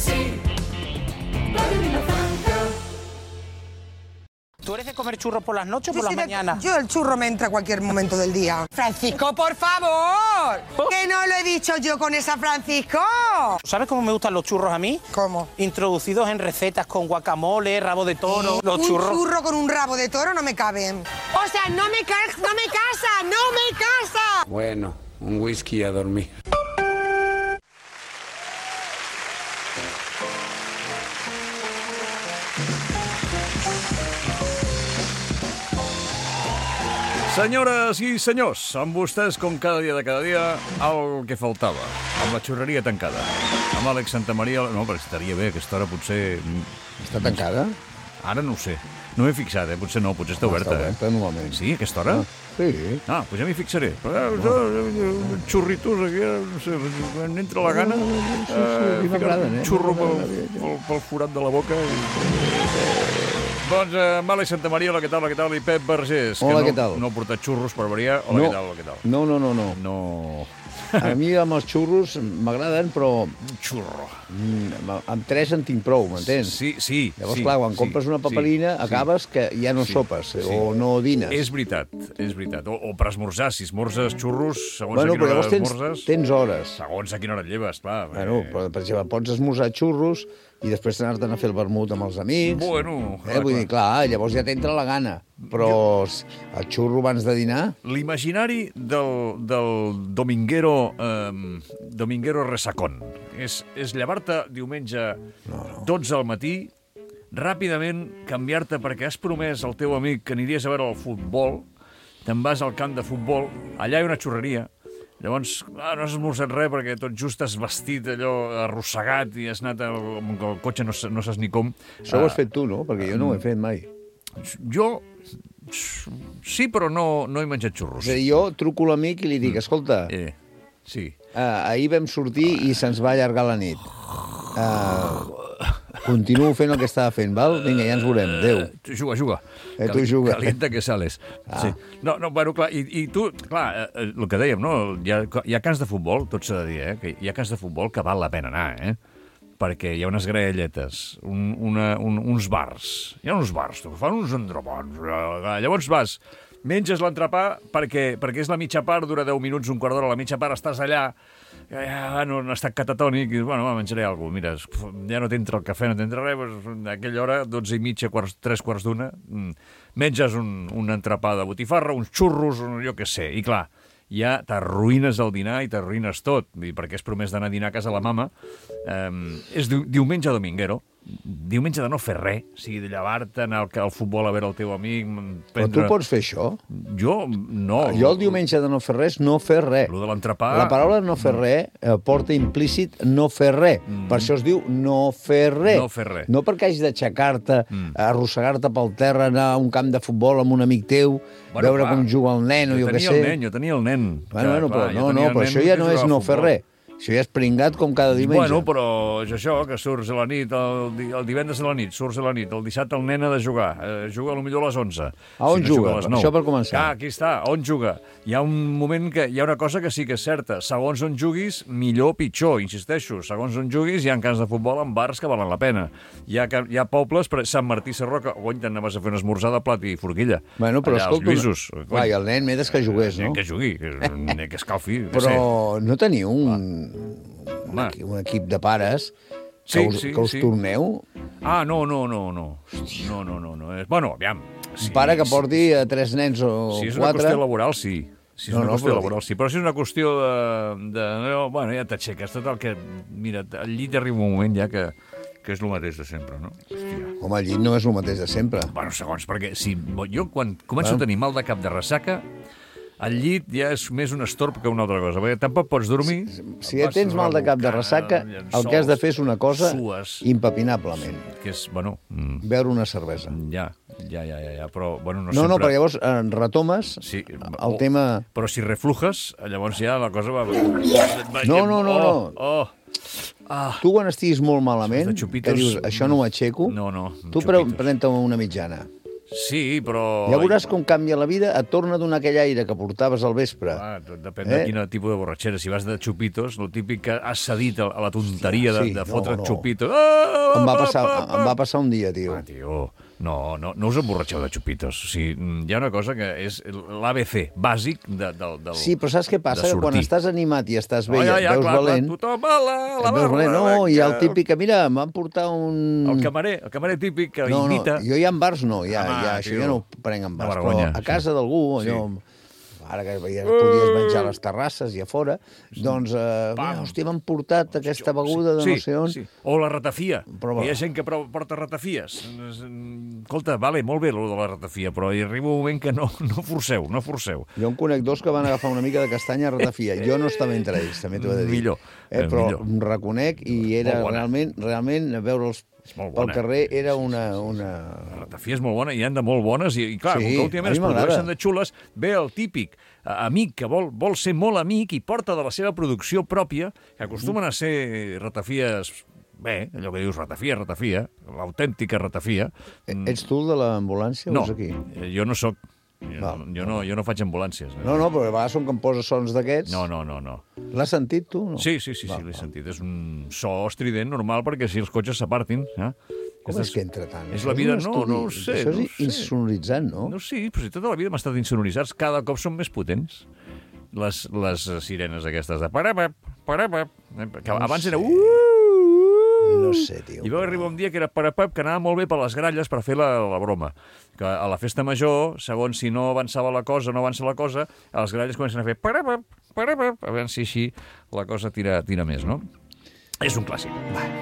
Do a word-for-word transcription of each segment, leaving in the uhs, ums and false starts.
sí, Radio Vilafranca. ¿Tú eres de comer churros por las noches o por las de, mañanas? Yo el churro me entra a cualquier momento del día. Francisco, por favor. Que no lo he dicho yo con esa Francisco. ¿Sabes cómo me gustan los churros a mí? ¿Cómo? Introducidos en recetas con guacamole, rabo de toro, los un churros. churro con un rabo de toro no me caben. O sea, no me, ca no me casa, no me casa. Bueno, un whisky y a dormir. Senyores i senyors, amb vostès, com cada dia de cada dia, el que faltava, amb la xurreria tancada. Amb Àlex Santamaria... No, però estaria bé, aquesta hora potser... Està tancada? Ara no ho sé. No m'he fixat, eh? Potser no, potser està No, oberta. està oberta, eh? normalment. Sí, a aquesta hora? Ah, sí. Ah, doncs ja m'hi fixaré. Però, eh, xurritos aquí, no sé, quan entra la gana, Sí, sí, a mi m'agraden, eh? xurro pel, pel, pel forat de la boca. I... Doncs, eh, amb Àlex Santamaria, hola, què tal, hola, què tal, i Pep Vergés. Hola, que no, què tal? No ha portat xurros per variar. Hola, No. què tal, hola, què tal. No, no, no, no. No... A mi amb els xurros m'agraden, però Xurro. mm, amb tres en tinc prou, m'entens? Sí, sí. Llavors, sí, clar, quan sí, compres una paperina, sí, acabes que ja no sí, sopes sí. o no dines. És veritat, és veritat. O, o per esmorzar, si esmorzes xurros, segons Bueno, a quina però hora llavors tens, esmorzes... tens hores. Segons a quina hora et lleves, clar. Bueno, però, per exemple, pots esmorzar xurros i després anar-te'n a fer el vermut amb els amics. Bueno, eh, vull dir, clar, llavors ja t'entra la gana. Però el xurro abans de dinar... L'imaginari del, del dominguero, eh, dominguero resacón és, és llevar-te diumenge No, no. dotze al matí, ràpidament canviar-te perquè has promès al teu amic que aniries a veure el futbol, te'n vas al camp de futbol, allà hi ha una xurreria, llavors ah, no has esmorzat res perquè tot just has vestit allò arrossegat i has anat al, amb el cotxe, no, no saps ni com. Això ho has Ah, fet tu, no? Perquè jo no ho he fet mai. Jo sí, però no, no he menjat xurros. És a dir, jo truco a l'amic i li dic, escolta, Eh, sí. Uh, ahir vam sortir i se'ns va allargar la nit. Uh, continuo fent el que estava fent, val? Vinga, ja ens veurem. Adéu. Tu juga, juga. Eh, tu juga. Calienta que sales. Ah. Sí. No, no, bueno, clar, i, i tu, clar, eh, el que dèiem, no? Hi ha, hi ha camps de futbol, tot s'ha de dir, eh? Que hi ha camps de futbol que val la pena anar, eh? Perquè hi ha unes graelletes, un, una, un, uns bars. Hi ha uns bars, tu, fan uns entrepans. Llavors vas, menges l'entrepà perquè, perquè és la mitja part, dura deu minuts, un quart d'hora, la mitja part estàs allà, ja no, no estat catatònic, i bueno, va, menjaré alguna cosa. Mira, ja no t'entra el cafè, no t'entra res, doncs, a aquella hora, dotze i mitja, quarts, tres quarts d'una, mm, menges un, un entrepà de botifarra, uns xurros, un, jo què sé, i clar, ja t'arruïnes el dinar i t'arruïnes tot, perquè has promès d'anar a dinar a casa la mama. Um, és di diumenge dominguero, diumenge de no fer res, o sigui, de llevar-te, anar al, al futbol a veure el teu amic... Prendre... Però tu pots fer això? Jo, no. Jo el diumenge de no fer res, no fer res. Lo de l'entrepà... La paraula no fer res eh, porta implícit no fer res. Mm. Per això es diu no fer res. No fer res. No perquè hagis d'aixecar-te, mm. arrossegar-te pel terra, anar a un camp de futbol amb un amic teu, Bueno, veure clar, com juga el nen o jo què sé. Jo tenia el nen, jo tenia el nen. Bueno, bueno, clar, però no, no, però nen això ja que no és jugava a no fer futbol. res. Això ja és pringat com cada diumenge. Bueno, però és això, que surts a la nit, el, di el divendres a la nit, surts a la nit, el dissabte el nen ha de jugar, eh, juga potser a les onze. A on si no juga? a les nou. Això per començar. Ah, aquí està, a on juga? Hi ha un moment que hi ha una cosa que sí que és certa. Segons on juguis, millor o pitjor, insisteixo. Segons on juguis, hi ha camps de futbol en bars que valen la pena. Hi ha, hi ha pobles, per Sant Martí Sarroca, on anaves a fer un esmorzar de plat i forquilla. Bueno, però allà, escolta... els Lluïsos. Clar, i el nen més que jugués, no? Que jugui, que, que escalfi. Però no teniu un, un, Home. equip, un equip de pares Sí, que us, sí, que us sí. torneu? Ah, no, no, no, no. No, no, no, no. Bueno, aviam. Un pare que porti a tres nens o Si és una quatre... qüestió laboral, sí. Si és No, una no, qüestió però- laboral, sí. Però si és una qüestió de... de no, bueno, ja t'aixeques. Tot el que... Mira, al llit arriba un moment ja que, que és el mateix de sempre, no? Hòstia. Home, el llit no és el mateix de sempre. Bueno, segons, perquè si jo quan començo Bueno. a tenir mal de cap de ressaca, el llit ja és més un estorb que una altra cosa, perquè tampoc pots dormir... Si ja tens mal de cap de ressaca, el que has de fer és una cosa Sues, impepinablement. que és, bueno... Mm, Beure una cervesa. ja, ja, ja, ja, ja, però, bueno, no, No, no, sempre... però llavors eh, retomes Sí, el o- tema... Però si reflujes, llavors ja la cosa va... No, no, no, Oh, no. oh. Ah, Tu quan estiguis molt malament, Això de xupitos- que dius, això no ho aixeco, no, no. tu pre xupitos. pren-te una mitjana. Sí, però... Ja veuràs com canvia la vida, et torna a donar aquell aire que portaves al vespre. Ah, depèn eh? de quin tipus de borratxera. Si vas de xupitos, el típic que has cedit a la tonteria de, sí, de fotre no, no. xupitos. Ah, Em va, passar, em va passar un dia, tio. Ah, tio, no, no, no us emborratxeu de xupitos. O sigui, hi ha una cosa que és l'A B C bàsic de, del, del, Sí, però saps què passa? Que quan estàs animat i estàs bé oh, i ja, et ja, veus clar, valent... Clar, tothom a la, a la et veus barra, valent. No, hi ha el que... típic que, mira, em van portar un... El camarer, el camarer típic que no, imita... No, jo ja en bars no, ja, Home, ja, això tio, ja no ho prenc en bars, vergonya, però a casa sí. d'algú, allò... Sí. Ara que ja podies menjar a les terrasses i a fora, doncs, eh, mira, hòstia, m'han portat aquesta beguda de sí, no sé on. Sí. O la ratafia. Però, hi ha gent que porta ratafies. Escolta, vale, molt bé, lo de la ratafia, però hi arriba un moment que no, no forceu, no forceu. Jo en conec dos que van agafar una mica de castanya a ratafia. Jo no estava entre ells, també t'ho he de dir. Millor. Eh, però millor. reconec i era realment, realment veure'ls pel carrer era una... una... La ratafia és molt bona, hi han de molt bones, i, i clar, Sí, com que últimament a mi es produeixen de xules, ve el típic eh, amic que vol, vol ser molt amic i porta de la seva producció pròpia, que acostumen a ser ratafies... Bé, allò que dius, ratafia, ratafia, l'autèntica ratafia. Ets tu el de l'ambulància No, o és aquí? jo no sóc. Jo, Val. jo, no, jo no faig ambulàncies. Eh? No, no, però a vegades són que em posa sons d'aquests. No, no, no, no. L'has sentit, tu? No? Sí, sí, sí, Va, sí l'he va. sentit. És un so estrident normal perquè si els cotxes s'apartin... Eh? Com és que entra tant? És Això la vida... un No, estudi. no ho sé. Això és no ho sé. insonoritzant, no? No, sí, però si tota la vida hem estat insonoritzats, cada cop són més potents. Les, les sirenes aquestes de... Parapap, parapap, que abans era... Uh, No sé, tio. I va arribar un dia que era parapap, que anava molt bé per les gralles per fer la, la broma. Que a la festa major, segons si no avançava la cosa o no avança la cosa, a les gralles comencen a fer parapap, parapap, a veure si així la cosa tira, tira més, no? És un clàssic.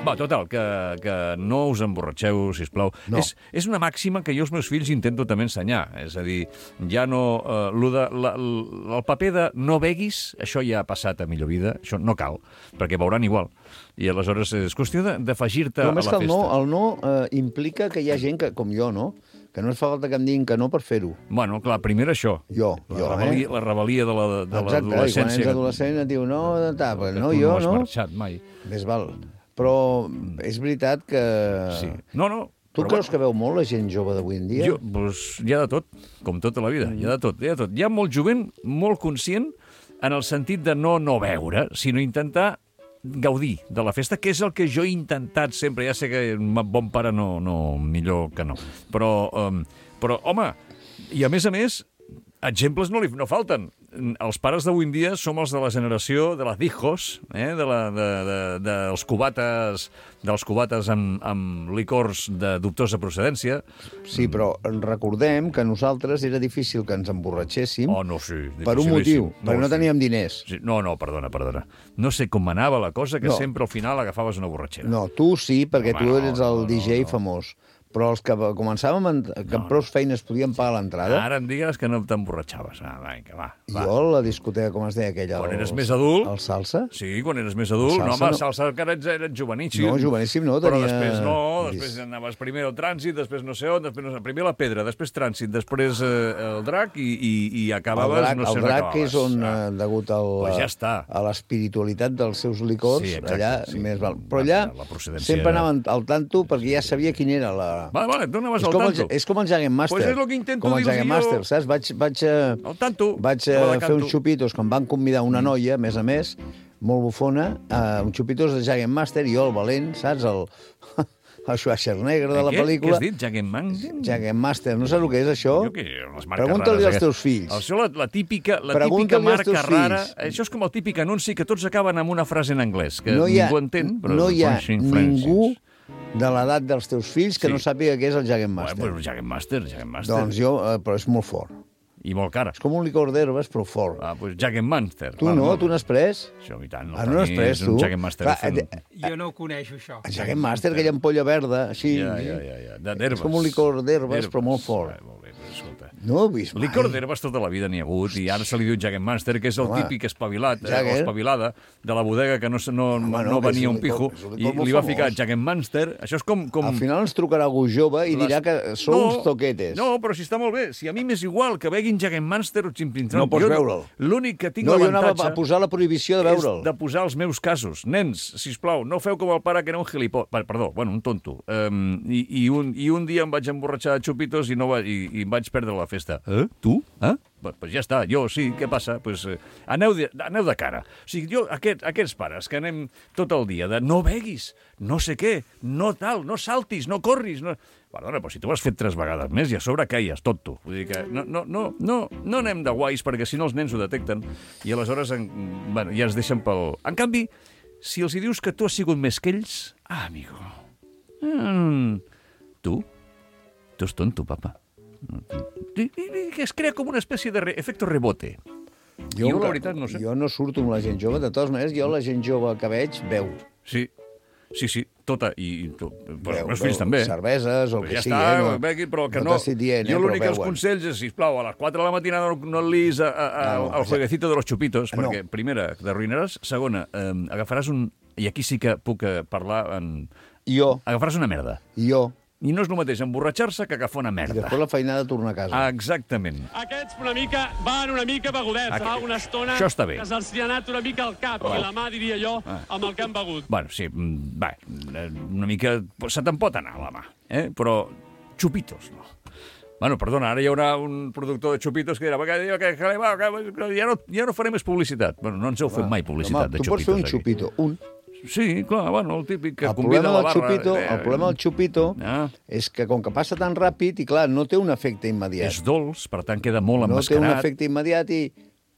Va, total, que, que no us emborratxeu, sisplau. No. És, és una màxima que jo als meus fills intento també ensenyar. És a dir, ja no... Eh, lo de, la, el paper de no beguis, això ja ha passat a millor vida, això no cal, perquè veuran igual. I aleshores és qüestió d'afegir-te a Però la més festa. que el no, el no eh, implica que hi ha gent que, com jo, no? Que no es fa falta que em diguin que no per fer-ho. Bueno, clar, primer això. Jo, la jo, rebel·lia, eh? La rebel·lia de la- de Exacte, i quan l'adolescència. ets adolescent et diu, no, ta, però no, tu jo, no has no? marxat mai. Més val. Però és veritat que... Sí. No, no. Tu però creus que veu molt la gent jove d'avui en dia? Jo, doncs, hi ha de tot, com tota la vida, hi ha de tot, hi ha de tot. Hi ha molt jovent, molt conscient, en el sentit de no no beure, sinó intentar gaudir de la festa, que és el que jo he intentat sempre. Ja sé que un bon pare no, no millor que no. Però, um, però home, i a més a més, exemples no li no falten. Els pares d'avui en dia som els de la generació de les hijos, eh? de la, de, de, de, dels cubates, dels cubates amb, amb licors de dubtosa procedència. Sí, però recordem que nosaltres era difícil que ens emborratxéssim Oh, no, sí. per un motiu, dificilíssim. perquè no sí. teníem diners. Sí, no, no, perdona, perdona. No sé com anava la cosa, que No. sempre al final agafaves una borratxera. No, tu sí, perquè Home, tu no, eres no, el no, D J no. famós. Però els que començàvem, en, que amb prou feines podien pagar l'entrada, Ara em digues que no t'emborratxaves. Ah, vinga, va, va. jo la discoteca, com es deia aquella? Quan el- eres més adult... El salsa? Sí, quan eres més adult. Salsa no, home, no. salsa encara ets, ets joveníssim. No, joveníssim no, Però tenia- després no, després anaves primer al trànsit, després no sé on, després no sé, primer la pedra, després trànsit, després eh, el drac i, i, i El acabaves, drac, no sé el on drac acabaves. és on, Ah. eh, degut al, Pues ja està. a l'espiritualitat dels seus licors, Sí, exacte, allà sí. més val. Però allà La procedència sempre era- anaven al tanto perquè ja sabia quin era la... Vale, vale, tu anaves És al com, el, tanto. és com el Jagen Master. Pues és lo que intento com el dir-los Jagen jo. Master, saps? Vaig, vaig, eh, Al tanto. vaig eh, la de fer canto. uns xupitos que em van convidar una noia, a més a més, molt bufona, eh, uns xupitos de Jagen Master, i jo, el valent, saps? El, el Schwarzenegger de la Què? pel·lícula. Què has dit? Jagenman? Jagen Master, no saps el que és això? Jo què? Les marques Pregunta-li rares als teus fills. Això, la, la típica, la típica Pregunta-li als marca teus rara... fills. Això és com el típic anunci que tots acaben amb una frase en anglès, que no hi ha, ningú entén, però... no hi ha Punching ningú Francis. de l'edat dels teus fills que Sí. no sàpiga què és el Jagen Bueno, Master. pues Jagen Master, Jagen Master. Doncs jo, eh, però és molt fort. I molt cara. És com un licor d'herbes, però fort. Ah, pues Jagen Master. Tu no, tu n'has pres? Això, i tant. Ah, no n'has pres, és tu? un Jagen Master. Clar, fent- eh, Jo no ho coneixo, això. El Jagen Master, aquella ampolla verda, així... Ja, ja, ja, ja. De- d'herbes. És com un licor d'herbes, D'herbes. però molt fort. Ah, molt bé, però escolta. No ho he vist mai. Licor d'herbes tota la vida n'hi ha hagut, i ara se li diu Jägermeister, que és el Home, típic espavilat, eh, Jagger. o espavilada, de la bodega que no, no, Home, no, no que és venia un un pijo, licor- és un i licor molt li va famós. ficar Jägermeister. Això és com... com... Al final ens trucarà algú jove i les- dirà que sou uns toquetes. No, però si està molt bé. Si a mi m'és igual que beguin Jägermeister o Chimpintrón. No pots Jo beure'l. L'únic que tinc No, jo anava l'avantatge a posar la prohibició de veure'l. és de posar els meus casos. Nens, sisplau, no feu com el pare que era un gilipó... Perdó, bueno, un tonto. Um, i, i, un, I un dia em vaig emborratxar de xupitos i, no va, i, i em vaig perdre la festa. Eh? Tu? Eh? Pues, pues ja està, jo sí, què passa? Pues, eh, aneu, de, aneu de cara. O sigui, jo, aquest, aquests pares que anem tot el dia de no beguis, no sé què, no tal, no saltis, no corris... No... Perdona, però si tu ho has fet tres vegades més i a sobre caies, tot tu. Vull dir que no, no, no, no, no anem de guais perquè si no els nens ho detecten i aleshores en, bueno, ja es deixen pel... En canvi, si els hi dius que tu has sigut més que ells... Ah, amigo... Mm, tu? Tu és tonto, papa. I, i, i que es crea com una espècie de re, efecte rebote. Jo, la veritat, no sé. Jo no surto amb la gent jove. De totes maneres, jo la gent jove que veig veu. Sí, sí, sí, tota. I, i to, però Veu, els meus fills veu també. cerveses o el Però que ja sigui, està, eh, no- begui, però que no no... t'estic dient, eh, jo però l'únic que els veuen. consells és, sisplau, a les quatre de la matinada no, no et liis a, a, a, Ah, no, al jueguecito de los chupitos, no. perquè, primera, t'arruïnaràs, segona, eh, agafaràs un... I aquí sí que puc eh, parlar en... Jo, Agafaràs una merda. jo. I no és el mateix emborratxar-se que agafar una I merda. després la feinada de tornar a casa. Exactament. Aquests una mica van una mica begudets. Aqu- Fa una estona Això està bé. que se'ls hi ha anat una mica al cap i la mà, diria jo, Ah. amb el que han begut. Bueno, sí, mm, va, eh, una mica... Se te'n pot anar a la mà, eh? Però xupitos, no. Bueno, perdona, ara hi haurà un productor de xupitos que dirà que, que, que, va, que ja, no, ja no faré més publicitat. Bueno, no ens heu fet mai publicitat Home, de tu pots xupitos. fer un aquí. xupito, un. Sí, clar, bueno, el típic que El convida problema, a la del barra. xupito, eh, el problema del xupito Ah. és que com que passa tan ràpid i, clar, no té un efecte immediat. És dolç, per tant queda molt No té un emmascarat. efecte immediat i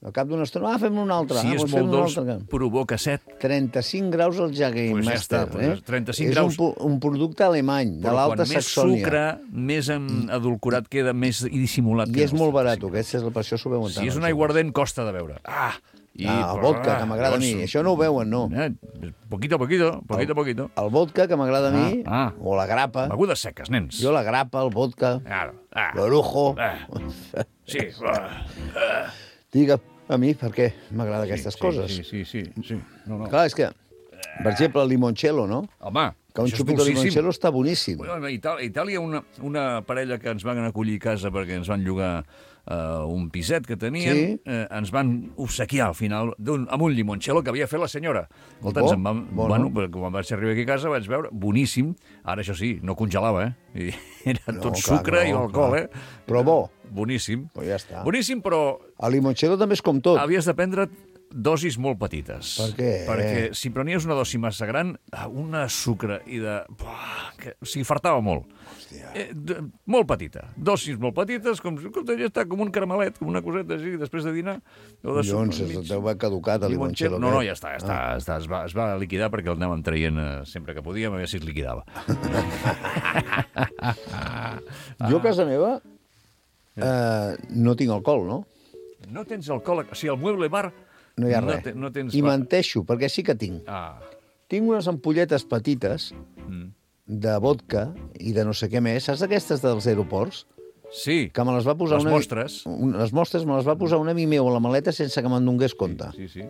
al cap d'una estona, ah, fem un altre. Si ah, és doncs molt fem un dolç, altre. provoca set. trenta-cinc graus al Jägermeister. Pues ja està, pues eh? trenta-cinc és graus. un, pu- un producte alemany, de Però l'Alta quan més Saxònia. sucre, més en adulcorat queda, més i dissimulat I queda. és molt barat, aquest és, per això s'ho veuen tant. Si és un els aiguardent, costa de veure. Ah! I, Ah, el vodka, que m'agrada a mi. Això no ho veuen, no. Eh, poquito a poquito, poquito a poquito. El vodka, que m'agrada a mi, Ah, ah. o la grapa. Begudes seques, nens. Jo la grapa, el vodka, Claro. Ah. l'orujo. Ah. Sí. Ah. Digue a mi per què m'agrada aquestes sí, coses. Sí, sí, sí. sí. No, no. Clar, és que, per exemple, el limoncello, no? Home, Que un això és xupito de dolcíssim. limoncello està boníssim. Bueno, a Itàlia, a Itàlia una, una parella que ens van acollir a casa perquè ens van llogar uh, un piset que tenien, Sí. eh, ens van obsequiar al final un, amb un limoncello que havia fet la senyora. Escolta, Bo, ens en vam, bo, no? bueno, però quan vaig arribar aquí a casa vaig veure, boníssim. Ara, això sí, no congelava, eh? I era No, tot clar, sucre no, i alcohol, clar. eh? Però bo. Boníssim. Però ja està. Boníssim, però El limoncello també és com tot. havies de prendre dosis molt petites. Per què? Perquè si prenies una dosi massa gran, una sucre i de... Buah, que, o sigui, fartava molt. Eh, de, molt petita. Dosis molt petites, com, com ja està, com un caramelet, com una coseta així, després de dinar. O de Collons, sucre, es mig. deu haver caducat el limoncello. No, no, aquest. ja està, ja està, ah. està es, va, es va liquidar perquè el anàvem traient eh, sempre que podíem, a veure si es liquidava. Jo a casa meva eh, no tinc alcohol, no? No tens alcohol... O sigui, al mueble bar... No hi ha no res. te- no tens... I menteixo, perquè sí que tinc. Ah, Tinc unes ampolletes petites mm. de vodka i de no sé què més. Saps aquestes dels aeroports? sí. Que me les va posar Les una... mostres. Un, les mostres me les va posar un amic meu a la maleta sense que me'n donés compte. Sí, sí.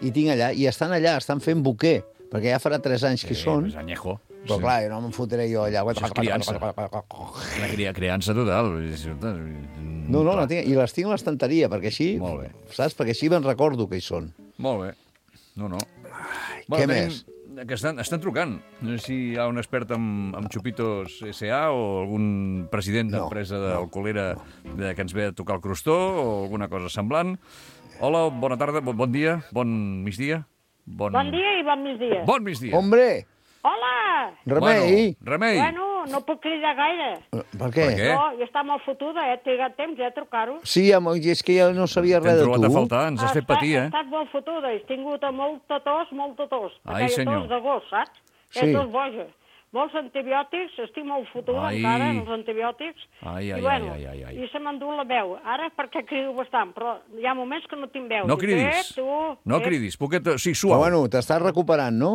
I tinc allà, i estan allà, estan fent buquer, perquè ja farà tres anys que hi són. És añejo. Però clar, jo no me'n fotré jo allà. Això és criança. La cria, criança total. No, no, la tinc, i les tinc a l'estanteria, perquè així, Molt bé. saps? Perquè així me'n recordo que hi són. Molt bé. No, no. què més? Que estan, estan trucant. No sé si hi ha un expert en, en Xupitos S A o algun president No, d'empresa d'alcoholera de, que ens ve a tocar el crostó o alguna cosa semblant. Hola, bona tarda, bon, bon dia, bon migdia. Bon, Bon dia i bon migdia. Bon migdia. Hombre, Hola! remei! Bueno, remei. Bueno, no puc cridar gaire. Per què? Per què? No, jo està molt fotuda, eh? He trigat temps, eh, a trucar-ho. Sí, home, i és que jo no sabia T'hem res de trobat a tu. faltar, ens has fet Està- patir, He eh? estat molt fotuda, he tingut molta tos, molta tos. Ai, Aquella senyor. tos de gos, saps? Sí. És tos boja. Molts antibiòtics, estic molt fotuda Ai. encara, amb els antibiòtics. Ai, ai, I, bueno, ai, ai, ai, ai. I se m'endú la veu. Ara perquè crido bastant, però hi ha moments que no tinc veu. No Dic, cridis. Eh, tu, No eh, cridis. Poquet, sí, Però suau. bueno, t'estàs recuperant, no?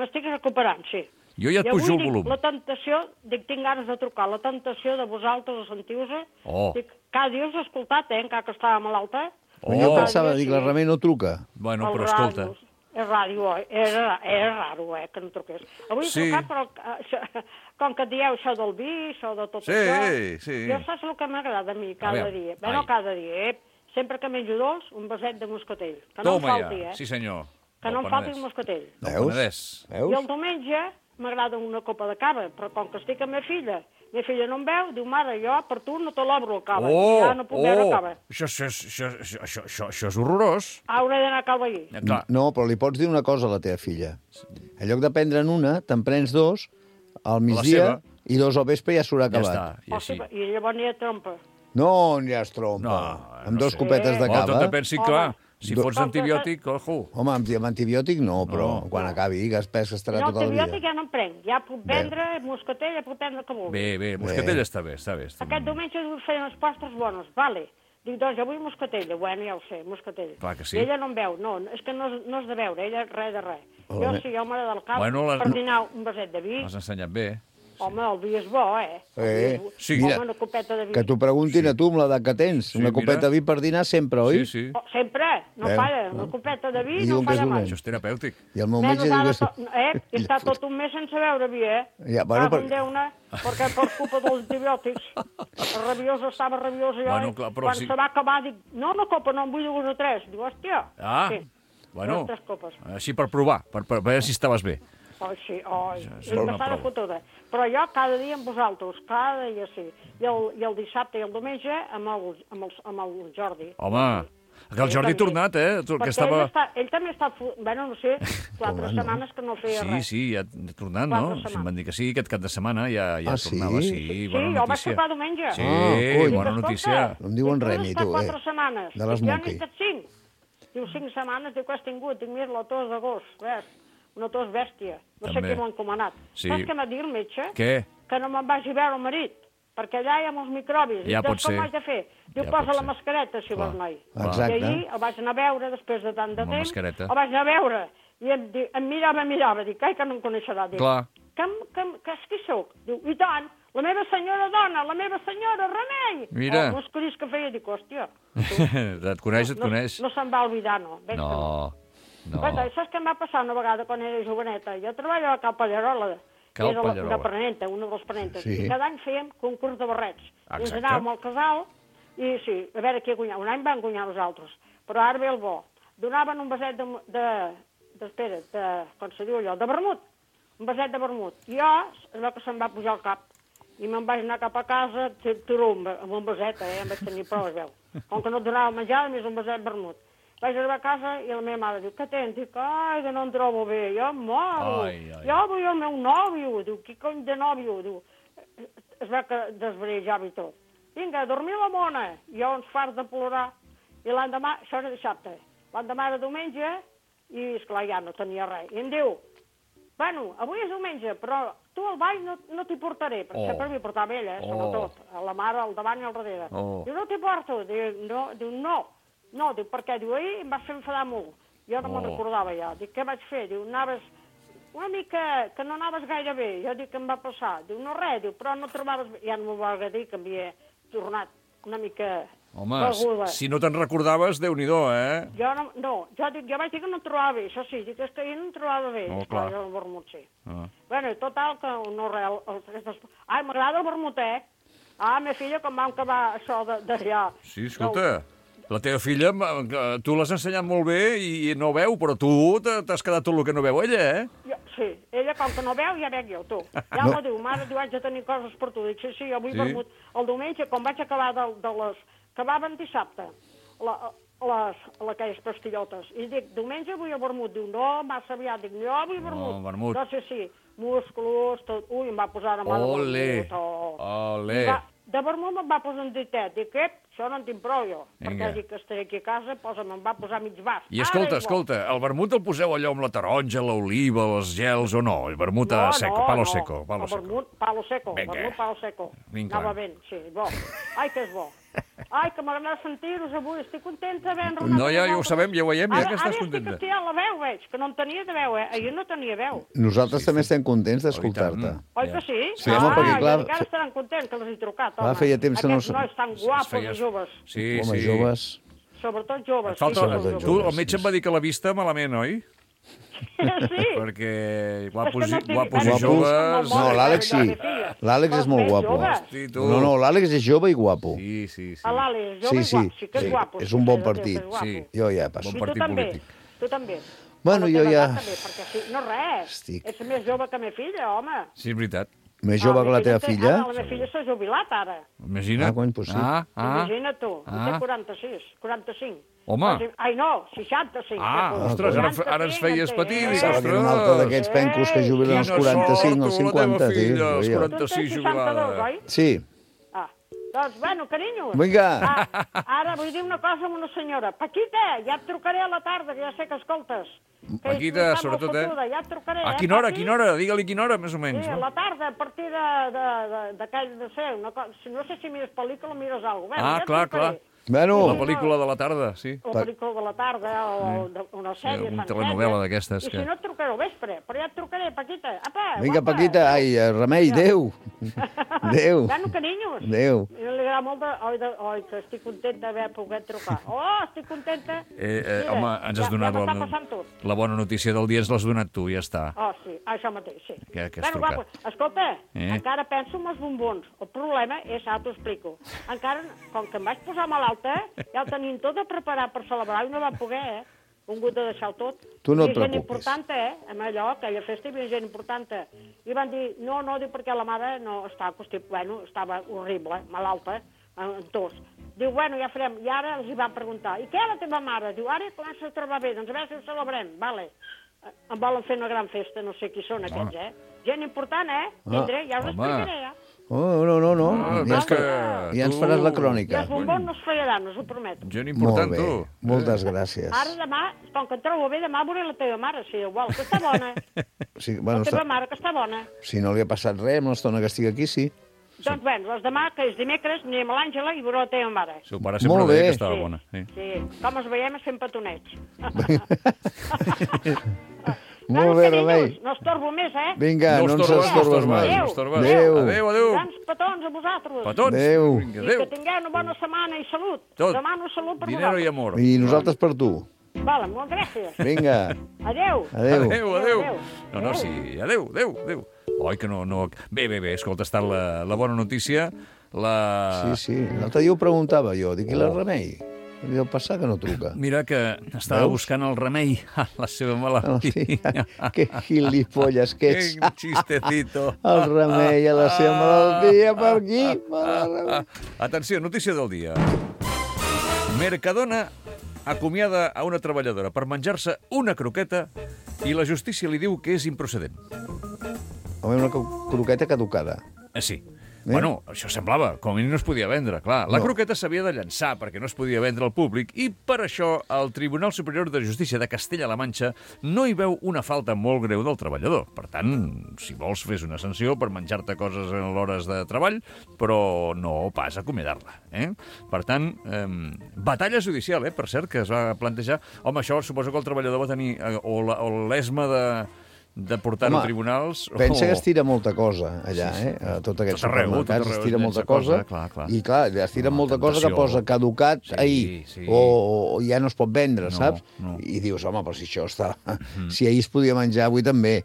M'estic recuperant, sí. Jo ja et I avui pujo el dic, volum. la tentació, dic, tinc ganes de trucar, la tentació de vosaltres, sentiu-vos, Oh. dic, cada dia us he escoltat, eh, encara que estava malalta. Oh. Jo pensava, Cada dia dic, la sí. Remei no truca. Bueno, El però escolta... ràdio, és ràdio, eh? era, era raro, eh, que no truqués. Avui Sí. he trucat, però eh, això, com que dieu això del vi, això de tot Sí, això... sí. Jo saps el que m'agrada a mi cada A veure, dia? Bé, ai. no cada dia, eh? Sempre que menjo dos, un vaset de moscatell. Que no Toma em falti, ja, eh? sí senyor. Que no Del em falti Penedès. el moscatell. Del Veus? Penedès. I el Veus? diumenge m'agrada una copa de cava, però com que estic amb ma filla, ma filla no em veu, diu, mare, jo per tu no te l'obro el cava, Oh, ja no puc veure oh, cava. això, això, això, això, això, això, això és horrorós. Hauré d'anar a cal veí. Ja, clar. No, però li pots dir una cosa a la teva filla. En lloc de prendre'n una, te'n prens dos al migdia seva. i dos al vespre ja s'haurà Ja acabat. està, i així. Hosti, I llavors n'hi ha trompa. No, ja es trompa. No, amb no dos sé. copetes de Oh, tot cava. depèn, sí, clar. Si Do- fots antibiòtic, ojo. Home, amb, amb antibiòtic no, però No. quan acabi, que es pes que estarà No, tot el antibiòtic dia. ja no em prenc. Ja puc prendre moscatell, ja puc prendre el que vulgui. Bé, bé, moscatell està bé, està bé. Està Aquest diumenge vull fer unes postres bones, vale. Dic, doncs avui moscatell. Bueno, ja ho sé, moscatell. Clar que sí. I ella no em veu, no, és que no, és- no és de veure, ella res de res. Jo Home. sí, jo m'agrada el cap, Bueno, les- per dinar un vaset de vi. L'has ensenyat bé. Home, el vi és bo, eh? El Eh, vi és bo. sí. Home, Mira, una copeta de vi. Que t'ho preguntin a tu amb l'edat que tens. Sí, Una mira. copeta de vi per dinar sempre, oi? Sí, sí. Oh, sempre, no Eh, falla. no. Una copeta de vi I no diuen que és falla mai. dolent. Això és terapèutic. I el meu Menys metge diu ara que... to- eh? I està tot un mes sense beure vi, eh? Ja, bueno, Cago en per- Déu-ne, perquè per culpa dels antibiòtics. El rabiós estava rabiós i Bueno, jo, clar, però quan si- se va acabar, dic, no, una copa, no, en vull dues o tres. Diu, hòstia. Ah, sí. bueno, Dues, tres copes. així per provar, per, per veure si estaves bé. Oh, sí, oh, és és una passada prova. fotuda. Però jo cada dia amb vosaltres, cada dia sí. I el, i el dissabte i el diumenge amb el, amb el, amb el Jordi. Home, que el Jordi ha tornat, eh? Que Perquè estava... ell, està, ell també està... fu- Bueno, no sé, quatre Home, no. setmanes que no feia Sí, res. sí, ja ha tornat, Quatre no? setmanes. Si em van dir que sí, aquest cap de setmana ja, ja Ah, sí? tornava. Sí, Sí, bona jo el vaig notícia. trucar diumenge. Sí, Ah, coi. bona Dic, notícia. escolta, No em diuen dic, res, has ni estat tu, quatre eh? setmanes. De les Dic, jo Monkey. n'he estat cinc. Diu, cinc setmanes, diu, que has tingut? Dic, mira, la tos d'agost, ves? Una tos bèstia. No sé També. qui m'ho ha encomanat. Sí. Saps què m'ha dit el metge? Què? Que no me'n vagi a veure el marit, perquè allà hi ha molts microbis. Ja I pot doncs com ser. ho haig de fer? Diu, Ja posa pot la ser. mascareta, si Clar. vols, noi. Exacte. I ahir el vaig anar a veure, després de tant de Amb la temps. mascareta. El vaig anar a veure. I em, di- em mirava, em mirava. Dic, ai, que no em coneixerà. Dic, Clar. que, em- que, em- que és qui sóc? Diu, i tant, la meva senyora dona, la meva senyora Remei. Mira. Oh, uns crits que feia, dic, hòstia. Et coneix, et no, coneix. No se'n va oblidar, no. Veig que No, no. Guaita, saps què em va passar una vegada quan era joveneta? Jo treballava a Cal Pallarola, Cal era la- Pallarola. de Prenenta, una de les Prenentes. Sí. I cada any fèiem concurs de barrets. I ens Exacte. anàvem al casal i sí, a veure qui guanyava. Un any van guanyar nosaltres, però ara ve el bo. Donaven un vaset de... de, de espera, de, com se diu allò, de vermut. Un vaset de vermut. I jo, es veu que se'm va pujar al cap. I me'n vaig anar cap a casa, turum, amb un vaset, eh? Em vaig tenir prou, es veu. Com que no et donava menjar, més un vaset de vermut. Vaig arribar a casa i la meva mare diu, què tens? Dic, ai, que no em trobo bé, jo em moro. Ai, ai. Jo vull el meu nòvio. Diu, qui cony de nòvio? Diu, es veu que desvarejava i tot. Vinga, a dormir la mona. I jo uns farts de plorar. I l'endemà, això era dissabte, l'endemà era diumenge i, esclar, ja no tenia res. I em diu, bueno, avui és diumenge, però tu al ball no, no t'hi portaré, perquè Oh. sempre m'hi portava ella, eh, sobretot, a la mare al davant i al darrere. Oh. Diu, no t'hi porto. Diu, no, diu, no. No, diu, per què? Diu, ahir em vas fer enfadar molt. Jo no Oh. me'n recordava ja. Dic, què vaig fer? Diu, anaves una mica, que no anaves gaire bé. Jo dic, què em va passar? Diu, no res, diu, però no trobaves bé. Ja no m'ho va agradir, que havia tornat una mica Home, beguda. si no te'n recordaves, Déu-n'hi-do, eh? Jo no, no, jo, dic, jo vaig dir que no em trobava bé, això sí, dic, és que jo no em trobava bé. Oh, Esclar, clar. jo el vermut, sí. Ah. Bueno, i total, que no res, el, el, el, ai, m'agrada el vermut, eh? Ah, meva filla, com vam acabar això de- d'allà. Sí, escolta, la teva filla, m- que tu l'has ensenyat molt bé i no veu, però tu t'ha- t'has quedat tot el que no veu ella, eh? Jo, sí, ella com que no veu, ja veig jo, tu. Ja No. m'ho diu, mare, diu, haig de tenir coses per tu. Dic, sí, sí, jo vull Sí? vermut. El diumenge, quan vaig acabar de, de les... Acabaven dissabte, la, les, aquelles pastillotes. I dic, diumenge vull el vermut. Diu, no, massa aviat. Dic, jo vull vermut. vermut. No sé si, músculos, tot. Ui, em va posar a mà de Ole, vermut. Oh. ole. Va, de vermut me'n va posar un ditet. Dic, ep, això no en tinc prou jo. Vinga. Perquè dic que estaré aquí a casa, posa, me'n va posar mig vas. I escolta, escolta, el vermut el poseu allò amb la taronja, l'oliva, els gels o no? El vermut a seco, palo seco, palo el seco. vermut, palo seco, Vinga. vermut, palo seco. Vinga. Anava ben, sí, bo. Ai, que és bo. Ai, que m'agrada sentir-vos avui. Estic contenta d'haver enrolat. No, ja, ja ho sabem, ja ho veiem, ja que estàs contenta. Ara estic aquí a la veu, veig, que no en tenia de veu, eh? Ahir no tenia veu. Nosaltres sí, també sí. estem contents d'escoltar-te. Oi que sí? Sí, home, ah, perquè, clar... I ara estaran contents que els he trucat, home. Clar, feia temps que no... Aquests nois tan guapos Feies... i joves. Sí, home, sí. joves... Sobretot joves. Falta... Sí, tu, el metge em va dir que la vista malament, oi? Sí. Perquè guapos, no i, guapos i Guapos? joves... No, l'Àlex sí. L'Àlex és molt guapo. Hosti, tu. No, no, l'Àlex és jove i guapo. Sí, sí, sí. L'Àlex, Sí, jove sí, i guapo. Sí que és sí. guapo. És un bon partit. Sí. Jo ja passo. Bon I tu partit també. polític. Tu també. Bueno, jo ja... També, perquè sí, no res. Estic. Ets més jove que la meva filla, home. Sí, és veritat. Més jove que la teva filla? Ah, la meva filla s'ha jubilat, ara. Imagina't. Ah, cony, pues sí. Ah, ah. Imagina't tu. Ah. Té quaranta-sis, quaranta-cinc. Home. Ai, no, seixanta-cinc. Ah, ostres, ara, ara ens feies petit. Pensava que era un altre d'aquests pencos que jubilen als quaranta-cinc o als cinquanta, tio. Als Jo. quaranta-sis jubilada. oi? Sí. Ah, doncs, bueno, carinyo. Vinga. Ah, ara vull dir una cosa a una senyora. Paquita, ja et trucaré a la tarda, que ja sé que escoltes. Que Paquita, està molt sobretot, eh? fotuda, Ja et trucaré, A eh, quina hora, a Paqui? quina hora? Digue-li quina hora, més o menys. Sí, a No? la tarda, a partir de, de, de, d'aquell de ser, una cosa, si no sé si mires pel·lícula o mires alguna cosa. Ah, ja et clar, trucaré. clar. Bueno, La pel·lícula de la tarda, sí. O pel·lícula de la tarda, o de, una sèrie una sencera. telenovela d'aquestes I que- si no et trucaré al vespre, però ja et trucaré, Paquita. Apa, vinga, guapa. Paquita. Ai, eh, Remei, adéu. Adéu. Bueno, carinyos. Adéu. I li agrada molt de... Oi, de... Oi, que estic contenta d'haver pogut trucar. Oh, estic contenta. Eh, eh, Mira, home, ens has ja, donat ja m'està la, passant tot. la bona notícia del dia, ens l'has donat tu, ja està. Oh, sí, això mateix, sí. Que- que has bueno, trucat. guapo, escolta, Eh? encara penso en els bombons. El problema és, ara t'ho explico. Encara, com que em vaig posar malalta, ja ho tenim tot a preparar per celebrar i no va poder, eh? Un hagut de deixar-ho tot. Tu no et Hi havia gent preocupis. important, eh? Amb allò, aquella festa hi havia gent important. I van dir, no, no, diu, perquè la mare no estava, constip... bueno, estava horrible, malalta, en tos. Diu, bueno, ja farem. I ara els hi van preguntar, i què la teva mare? Diu, ara comença a trobar bé, doncs a veure si ho celebrem. Vale. Em volen fer una gran festa, no sé qui són aquests, eh? Gent important, eh? Tindré, ja us home. explicaré, ja. Oh, no, no, no. Ah, Ja, és ens, que ja ens tu- faràs la I crònica. els bombons no es fallaran, us ho prometo. Gent Molt important, bé. tu. Moltes gràcies. Ara demà, com que em trobo bé, demà veuré la teva mare, si vol, que està bona. Sí, bueno, La teva està... mare, que està bona. Si no li ha passat res, amb l'estona que estic aquí, sí. Doncs, bueno, doncs demà, que és dimecres, anirem a l'Àngela i veuré la teva mare. Seu pare sempre Molt deia bé. que estava bona. Sí. Sí, com ens veiem és fent petonets. Molt bé, Remei. No estorbo més, eh? Vinga, no, ens estorbes, estorbes no mai. Adéu. estorbes. Adéu. Adéu, adéu. Grans petons a vosaltres. Petons. Adéu. Vinga, I que adéu. tingueu una bona setmana i salut. Tot. Demano salut per Dinero i vosaltres. amor. I nosaltres per tu. Vale, moltes gràcies. Vinga, Adéu. adéu. Adéu, adéu. Adéu. No, no, sí, adéu, adéu, adéu. Oi, que no, no... Bé, bé, bé, escolta, està la, la bona notícia, la... Sí, sí. L'altre dia ho preguntava jo. Dic, i la Remei? Deu passar que no truca. Mira que estava Veus? buscant el remei a la seva malaltia. Que gilipolles que ets. Que chistecito. El remei a la seva malaltia per aquí. Mare meva. Atenció, notícia del dia. Mercadona acomiada a una treballadora per menjar-se una croqueta i la justícia li diu que és improcedent. Home, una cro- croqueta caducada. Eh, sí. Eh? Bueno, això semblava, com a mínim no es podia vendre, clar. La No. croqueta s'havia de llançar perquè no es podia vendre al públic i per això el Tribunal Superior de Justícia de Castella-La Manxa no hi veu una falta molt greu del treballador. Per tant, si vols, fes una sanció per menjar-te coses en l'hores de treball, però no pas acomiadar-la. Eh? Per tant, eh, batalla judicial, eh, per cert, que es va plantejar. Home, això suposo que el treballador va tenir eh, o la- o l'esma de de portar-ho a Home, tribunals... Pensa o- que es tira molta cosa allà, eh? A tot aquests Tot arreu, tot supermercats arreu es tira es molta llença cosa. cosa, clar, clar. I clar, es tira No, molta cosa que tentació. posa caducat Sí, ahir. sí. O, o ja no es pot vendre, No, saps? no. I dius, home, però si això està... Si ahir es podia menjar, avui també.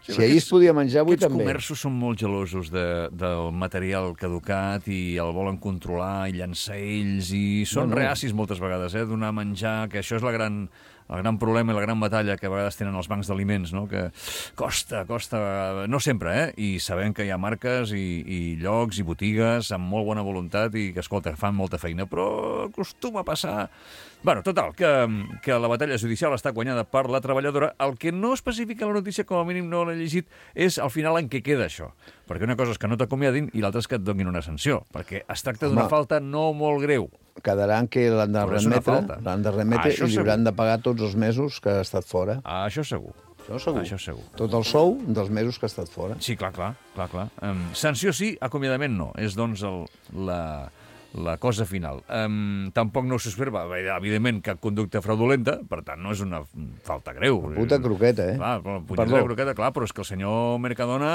Sí, Si ahir es podia menjar, avui aquests també. comerços són molt gelosos de, del material caducat i el volen controlar i llançar ells i són No, no. reacis moltes vegades, eh, donar a menjar, que això és la gran, el gran problema i la gran batalla que a vegades tenen els bancs d'aliments, no? Que costa, costa, no sempre, eh? I sabem que hi ha marques i, i llocs i botigues amb molt bona voluntat i que, escolta, fan molta feina, però acostuma a passar... Bueno, total, que, que la batalla judicial està guanyada per la treballadora. El que no especifica la notícia, com a mínim no l'he llegit, és al final en què queda això. Perquè una cosa és que no t'acomiadin i l'altra és que et donin una sanció, perquè es tracta d'una Home. falta no molt greu. Quedaran que l'han de Però és una remetre, falta. l'han de remetre Això i li segur. hauran de pagar tots els mesos que ha estat fora. Ah, això segur. Això segur. Això segur. Tot el sou dels mesos que ha estat fora. Sí, clar, clar, clar, clar. Um, sanció sí, acomiadament no. És, doncs, el, la, la cosa final. Um, tampoc no s'observa, evidentment, cap conducta fraudulenta, per tant, no és una falta greu. Puta croqueta, eh? Clar, punyeta de croqueta, clar, però és que el senyor Mercadona...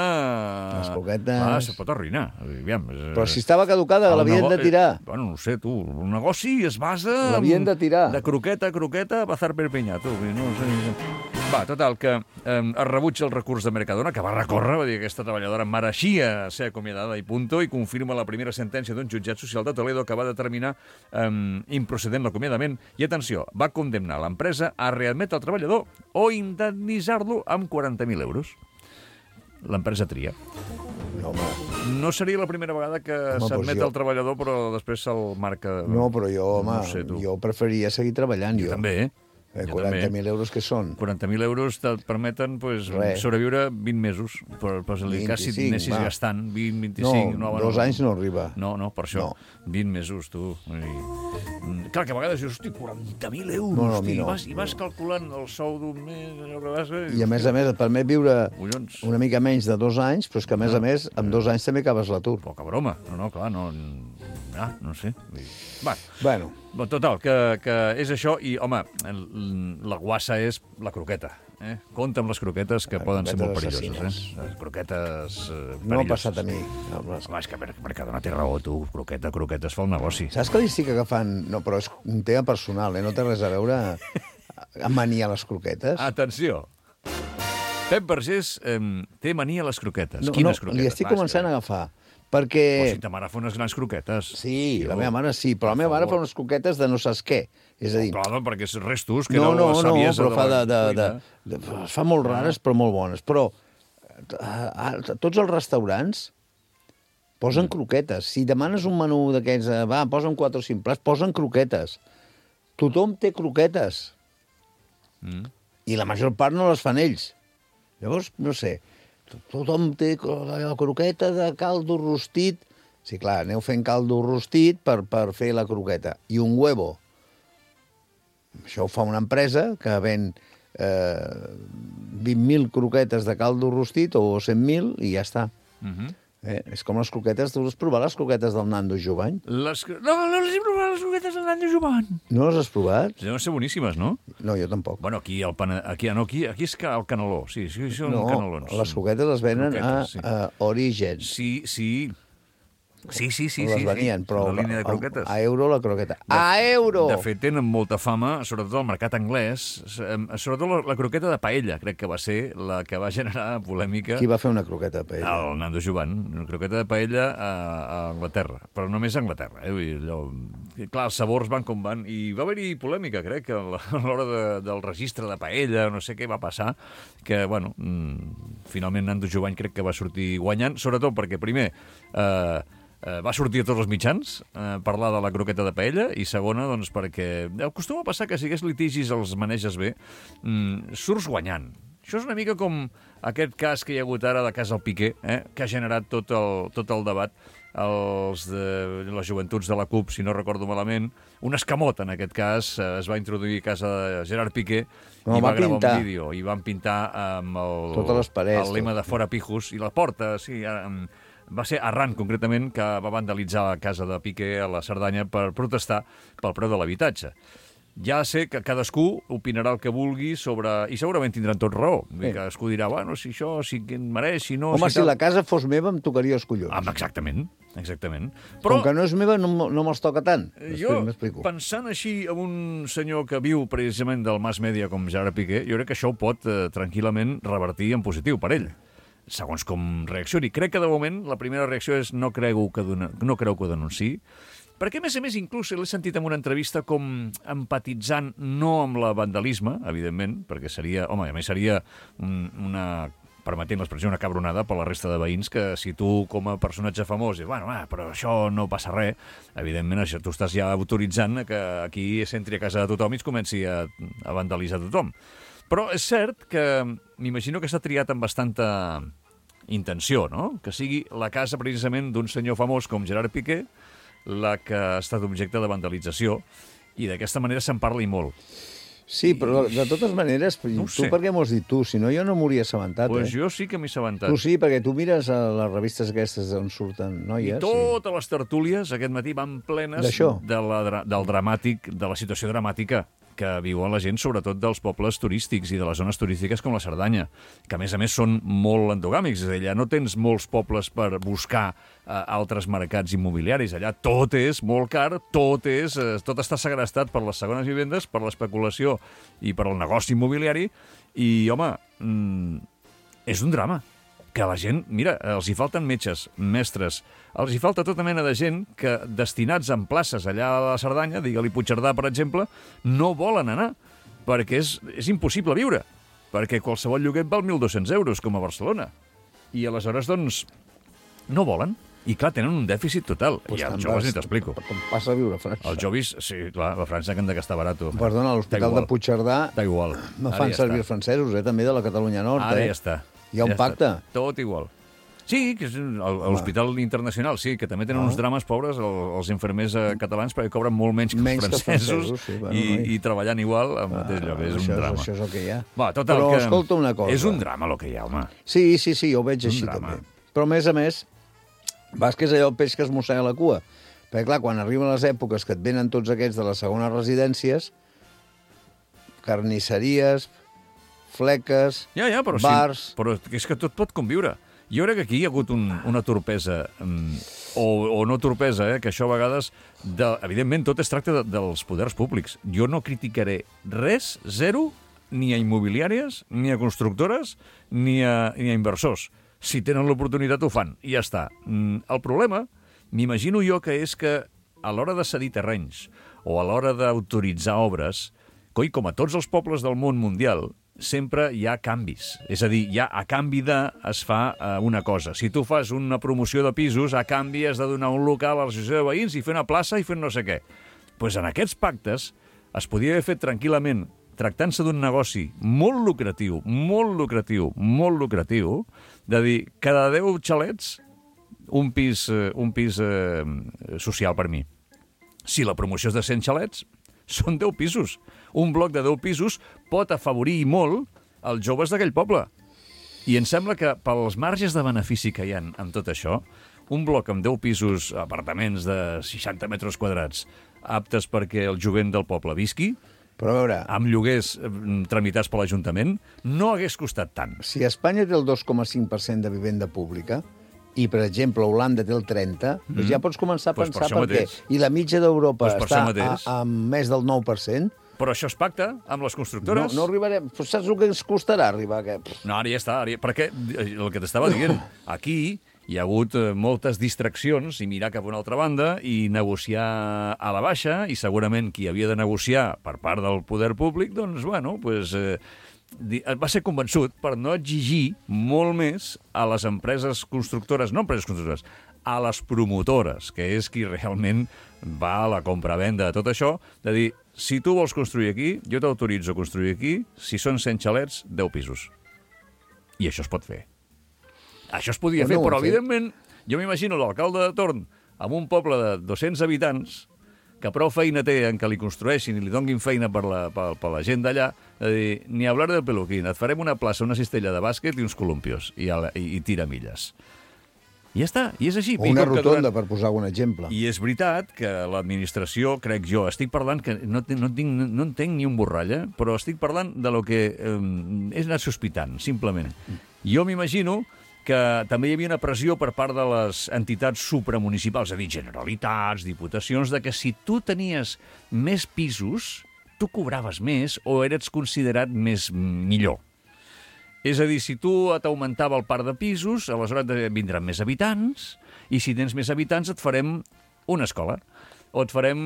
Les croquetes... Clar, se pot arruïnar. Aviam, és... Però si estava caducada, l'havien de tirar. Bueno, no sé, tu, un negoci es basa... L'havien de tirar. De croqueta a croqueta, bazar per penyar, tu. No sé... Va, total, que eh, es rebutja el recurs de Mercadona, que va recórrer, va dir que aquesta treballadora mereixia ser acomiadada i punto, i confirma la primera sentència d'un jutjat social de Toledo que va determinar eh, improcedent l'acomiadament i, atenció, va condemnar l'empresa a readmetre el treballador o indemnitzar-lo amb quaranta mil euros. L'empresa tria. No, home. No seria la primera vegada que s'admet jo... el treballador, però després se'l marca... No, però jo, home, no sé, jo preferiria seguir treballant. Jo, jo. també, eh? Eh, quaranta mil euros que són? quaranta mil euros et permeten pues, sobreviure vint mesos, per, per si si anessis va. gastant vint, vint-i-cinc... No, no, dos no, anys no arriba. No, no, per això, no. vint mesos, tu. I, clar, que a vegades dius, hosti, quaranta mil euros, no, no, hosti, no. I, vas, i vas calculant el sou d'un mes... Vas, eh? I a més a més et permet viure Collons. una mica menys de dos anys, però és que a més no. a més, amb dos anys també acabes l'atur. Poca broma, no, no, clar, no... Ah, no sé. Va. Bueno. Total, que, que és això i, home, la guassa és la croqueta. Eh? Compte amb les croquetes que les poden ser molt perilloses. Eh? Les croquetes eh, perilloses. No ha passat a mi. No, les... Home, és que Mercadona té raó, tu. Croqueta, croquetes fa el negoci. Saps que li estic agafant... No, però és un tema personal, eh? No té res a veure amb mania a les croquetes. Atenció. Pep Vergés eh, té mania a les croquetes. No, Quines no, croquetes? li estic començant a agafar. Perquè... O si ta mare fa unes grans croquetes. Sí, jo... la meva mare sí, però la meva mare fa unes croquetes de no saps què. És a dir... Oh, clar, perquè és restos, que no, era no, la saviesa no, però fa de, de, de, de, de, de, es fa molt rares, però molt bones. Però a, a, tots els restaurants posen croquetes. Si demanes un menú d'aquests, va, posen quatre o cinc plats, posen croquetes. Tothom té croquetes. Mm. I la major part no les fan ells. Llavors, no sé... Tothom té la croqueta de caldo rostit. Sí, clar, aneu fent caldo rostit per, per fer la croqueta. I un huevo. Això ho fa una empresa que ven eh, vint mil croquetes de caldo rostit o cent mil i ja està. Uh-huh. Eh? És com les croquetes... Tu has provat les croquetes del Nando Jovany? Les... No, no les he provat, les croquetes del Nando Jovany. No les has provat? Deuen ser boníssimes, no? No, jo tampoc. Bueno, aquí, el pana... aquí, no, aquí, aquí és el caneló. Sí, sí, són no, canelons. Les croquetes les venen croquetes, sí. a, a Origen. Sí, sí. Sí, sí, sí. Les sí, venien, sí. però la línia de croquetes. A, a euro la croqueta. De, a euro! De fet, tenen molta fama, sobretot al mercat anglès, sobretot la, la croqueta de paella, crec que va ser la que va generar polèmica. Qui va fer una croqueta de paella? El Nando Jovan, una croqueta de paella a, a Anglaterra, però només a Anglaterra. Eh? Vull dir, allò... Clar, els sabors van com van, i va haver-hi polèmica, crec, a l'hora de, del registre de paella, no sé què va passar, que, bueno, mmm, finalment Nando Jovan crec que va sortir guanyant, sobretot perquè, primer, eh, Uh, va sortir a tots els mitjans a uh, parlar de la croqueta de paella i segona, doncs, perquè acostuma a passar que si hagués litigis els maneges bé, mm, surts guanyant. Això és una mica com aquest cas que hi ha hagut ara de cas al Piqué, eh, que ha generat tot el, tot el debat. Els de les joventuts de la CUP, si no recordo malament, un escamot, en aquest cas, es va introduir a casa de Gerard Piqué no, i va, va gravar pintar. un vídeo i van pintar amb el, totes les parets, el lema tot. de fora pijos i la porta, sí, amb, va ser Arran, concretament, que va vandalitzar la casa de Piqué a la Cerdanya per protestar pel preu de l'habitatge. Ja sé que cadascú opinarà el que vulgui sobre... I segurament tindran tot raó. Sí. Cadascú dirà, bueno, si això, si em mereix, si no... Home, si, si la casa fos meva em tocaria els collons. Ah, exactament, exactament. Però... Com que no és meva, no, no me'ls toca tant. Jo, pensant així en un senyor que viu precisament del mass media com Gerard Piqué, jo crec que això ho pot eh, tranquil·lament revertir en positiu per ell. Segons com reaccioni. Crec que, de moment, la primera reacció és no creu que, dona, no creu que ho denunciï, perquè, a més a més, inclús l'he sentit en una entrevista com empatitzant no amb la vandalisme, evidentment, perquè seria, home, a més seria un, una, permetent l'expressió, una cabronada per la resta de veïns, que si tu, com a personatge famós, dius, bueno, ah, però això no passa res, evidentment, això tu estàs ja autoritzant que aquí s'entri a casa de tothom i es comenci a, a vandalitzar tothom. Però és cert que m'imagino que s'ha triat amb bastanta intenció, no? Que sigui la casa, precisament, d'un senyor famós com Gerard Piqué, la que ha estat objecte de vandalització, i d'aquesta manera se'n parla i molt. Sí, però de totes maneres, No tu sé. per què m'ho has dit tu? Si no, jo no m'hauria assabentat, Pues eh? jo sí que m'he assabentat. Tu sí, perquè tu mires a les revistes aquestes on surten I noies. totes les tertúlies aquest matí van plenes D'això. de la, dra- del dramàtic, de la situació dramàtica que viuen la gent, sobretot dels pobles turístics i de les zones turístiques com la Cerdanya, que a més a més són molt endogàmics. És a dir, allà no tens molts pobles per buscar eh, altres mercats immobiliaris. Allà tot és molt car, tot, és, eh, tot està segrestat per les segones vivendes, per l'especulació i per el negoci immobiliari. I, home, mm, és un drama. Que la gent, mira, els hi falten metges, mestres, els hi falta tota mena de gent que, destinats en places allà a la Cerdanya, digue-li Puigcerdà, per exemple, no volen anar, perquè és, és impossible viure, perquè qualsevol lloguer val mil dos-cents euros, com a Barcelona. I aleshores, doncs, no volen. I, clar, tenen un dèficit total. Pues I els te'n joves vas- ni t'explico. Com passa a viure a França. Els joves, sí, clar, a França que han de gastar barat. Perdona, a l'Hospital de Puigcerdà Està igual. no Ara fan ja servir està. els francesos, eh, també de la Catalunya Nord. Ara eh? ja està. Hi ha un Ja pacte. està. Tot igual. Sí, que és un- el- a l'Hospital Internacional, sí, que també tenen Ah. uns drames pobres el- els infermers eh, catalans perquè cobren molt menys que Menys que els els francesos, francesos, sí, bueno, i, noi. i treballant igual al mateix lloc. És això, un drama. Això és el que hi ha. Va, total, Però que escolta una cosa. És un drama el que hi ha, home. Sí, sí, sí, jo ho veig Un així drama. també. Però, a més a més, vas que és allò el peix que es mossega la cua. Perquè, clar, quan arriben les èpoques que et venen tots aquests de les segones residències, carnisseries, fleques, Ja, ja, però, bars... sí, però és que tot pot conviure. Jo crec que aquí hi ha hagut un, una torpesa, um, o, o no torpesa, eh, que això a vegades, de, evidentment, tot es tracta de, dels poders públics. Jo no criticaré res, zero, ni a immobiliàries, ni a constructores, ni a, ni a inversors. Si tenen l'oportunitat ho fan, i ja està. Mm, el problema, m'imagino jo que és que a l'hora de cedir terrenys o a l'hora d'autoritzar obres, coi, com a tots els pobles del món mundial, sempre hi ha canvis. És a dir, ja a canvi de es fa eh, una cosa. Si tu fas una promoció de pisos, a canvi has de donar un local a l'associació de veïns i fer una plaça i fer no sé què. Doncs pues en aquests pactes es podia haver fet tranquil·lament, tractant-se d'un negoci molt lucratiu, molt lucratiu, molt lucratiu, de dir, cada deu xalets, un pis, eh, un pis eh, social per mi. Si la promoció és de cent xalets, són deu pisos. Un bloc de deu pisos pot afavorir molt els joves d'aquell poble. I em sembla que pels marges de benefici que hi ha amb tot això, un bloc amb deu pisos, apartaments de seixanta metres quadrats, aptes perquè el jovent del poble visqui, Però a veure, amb lloguers eh, tramitats per l'Ajuntament, no hagués costat tant. si Espanya té el dos coma cinc per cent de vivenda pública i, per exemple, Holanda té el trenta, mm. doncs ja pots començar a Pues per pensar això per què. mateix. I la mitja d'Europa Pues per està això mateix. a, a més del nou per cent. Però això es pacta amb les No, constructores. no arribarem... Però saps el que ens costarà arribar? Que... No, ara ja està. Ara ja... Perquè eh, el que t'estava dient, aquí hi ha hagut eh, moltes distraccions i mirar cap a una altra banda i negociar a la baixa, i segurament qui havia de negociar per part del poder públic, doncs, bueno, pues, eh, di- va ser convençut per no exigir molt més a les empreses constructores, no empreses constructores, a les promotores, que és qui realment va a la compra-venda de tot això, de dir, si tu vols construir aquí, jo t'autoritzo a construir aquí, si són cent xalets, deu pisos. I això es pot fer. Això es podia Però fer, no ho però han fet. evidentment jo m'imagino l'alcalde de torn amb un poble de dos-cents habitants que prou feina té en que li construeixin i li donguin feina per la, per, per la gent d'allà, de dir, ni hablar del peluquín, et farem una plaça, una cistella de bàsquet i uns columpios i, a la, i, i tiramilles. I ja està, i és així. O I una com que rotonda, durant- per posar algun exemple. I és veritat que l'administració, crec jo, estic parlant que no, te- no, tinc, no entenc ni un borrall, eh? Però estic parlant de lo que eh, és anat sospitant, simplement. Jo m'imagino que també hi havia una pressió per part de les entitats supramunicipals, és a dir, generalitats, diputacions, de que si tu tenies més pisos, tu cobraves més o eres considerat més millor. És a dir, si tu t'augmentava el parc de pisos, aleshores et vindran més habitants, i si tens més habitants et farem una escola, o et farem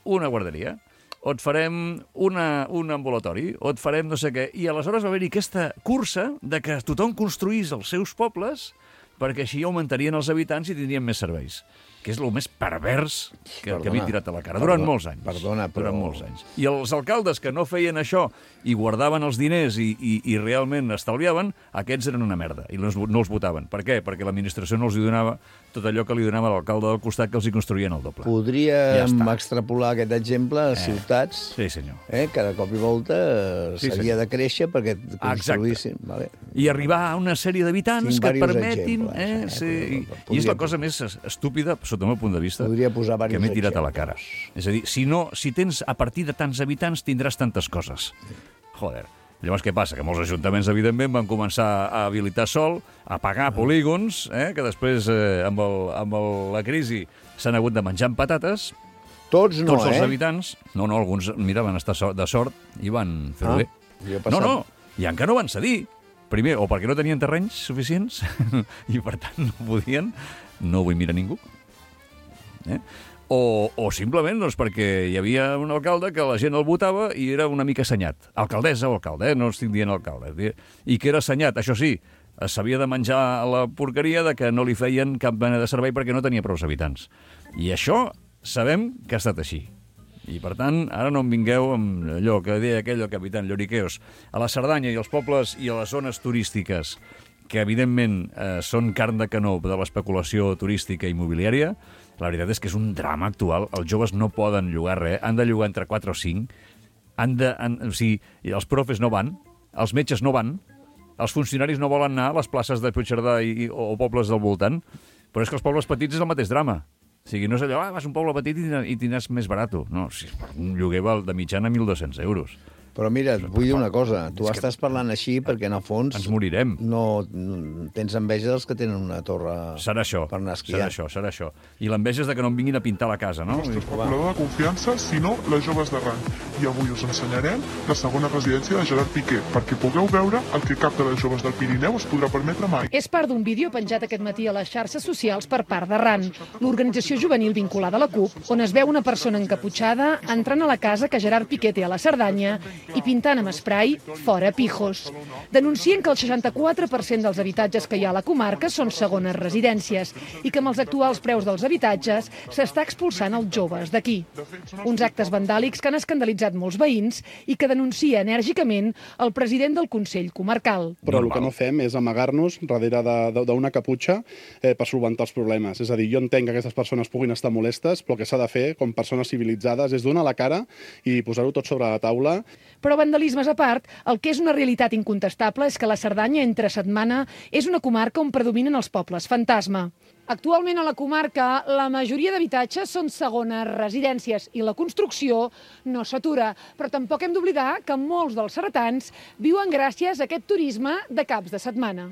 una guarderia, o et farem una, un ambulatori, o et farem no sé què. I aleshores va haver-hi aquesta cursa de que tothom construís els seus pobles perquè així augmentarien els habitants i tindrien més serveis. que és el més pervers que, Perdona, que havia tirat a la cara, durant perdona, molts anys. perdona, però- Durant molts anys. I els alcaldes que no feien això i guardaven els diners i, i, i realment estalviaven, aquests eren una merda i no els, no els votaven. Per què? Perquè l'administració no els hi donava tot allò que li donava l'alcalde del costat, que els hi construïen el doble. Podríem Ja està. extrapolar aquest exemple a ciutats. Sí, senyor. Eh? Cada cop i volta eh, Sí, s'havia de créixer perquè Exacte. construïssin. Vale. I arribar a una sèrie d'habitants Tinc que et diversos permetin... exemples, Eh, eh, sí, però- i, però I és la podria cosa més estúpida, sota el meu punt de vista, Podria posar que diversos m'he tirat a la cara. exemples. És a dir, si, no, si tens a partir de tants habitants tindràs tantes coses. Joder. Llavors, què passa? Que molts ajuntaments, evidentment, van començar a habilitar sol, a pagar polígons, eh, que després, eh, amb, el, amb el, la crisi, s'han hagut de menjar amb patates. Tots no, Tots els eh? habitants... No, no, alguns, mira, van estar so- de sort i van fer-ho Ah, bé. jo he No, passat- no, i encara no van cedir. Primer, o perquè no tenien terrenys suficients i, per tant, no podien, no vull mirar ningú. Eh? O, o simplement doncs, perquè hi havia un alcalde que la gent el votava i era una mica assenyat. Alcaldessa o alcalde, eh? No estic dient alcalde. I que era assenyat, això sí, s'havia de menjar la porqueria de que no li feien cap mena de servei perquè no tenia prou habitants. I això sabem que ha estat així. I, per tant, ara no em vingueu amb allò que deia aquell el capitán Lloriqueos. A la Cerdanya i als pobles i a les zones turístiques, que evidentment eh, són carn de canó de l'especulació turística i immobiliària, la veritat és que és un drama actual. Els joves no poden llogar res, han de llogar entre quatre o cinc, han de, han, o sigui, els profes no van, els metges no van, els funcionaris no volen anar a les places de Puigcerdà i, o pobles del voltant, però és que els pobles petits és el mateix drama. O sigui, no és allò, ah, vas a un poble petit i, i tindràs més barat. No, si un lloguer val de mitjana mil dos-cents euros. Però mira, et vull dir una cosa. Tu estàs parlant així perquè, en el fons... Ens morirem. No, no tens enveja dels que tenen una torre Serà això, per anar a esquiar. serà això, serà això. I l'enveja és de que no em vinguin a pintar la casa, no? Nostre especulador de confiança, sinó les joves de rang. I avui us ensenyarem la segona residència de Gerard Piqué, perquè pugueu veure el que cap de les joves del Pirineu es podrà permetre mai. És part d'un vídeo penjat aquest matí a les xarxes socials per part de RAN, l'organització juvenil vinculada a la CUP, on es veu una persona encaputxada entrant a la casa que Gerard Piqué té a la Cerdanya i pintant amb spray fora pijos. Denuncien que el seixanta-quatre per cent dels habitatges que hi ha a la comarca són segones residències i que amb els actuals preus dels habitatges s'està expulsant els joves d'aquí. Uns actes vandàlics que han escandalitzat molts veïns i que denuncia enèrgicament el president del Consell Comarcal. Però el que no fem és amagar-nos darrere d'una caputxa eh, per solventar els problemes. És a dir, jo entenc que aquestes persones puguin estar molestes, però el que s'ha de fer, com persones civilitzades, és donar la cara i posar-ho tot sobre la taula. Però vandalismes a part, el que és una realitat incontestable és que la Cerdanya, entre setmana, és una comarca on predominen els pobles fantasma. Actualment a la comarca la majoria d'habitatges són segones residències i la construcció no s'atura, però tampoc hem d'oblidar que molts dels ceretans viuen gràcies a aquest turisme de caps de setmana.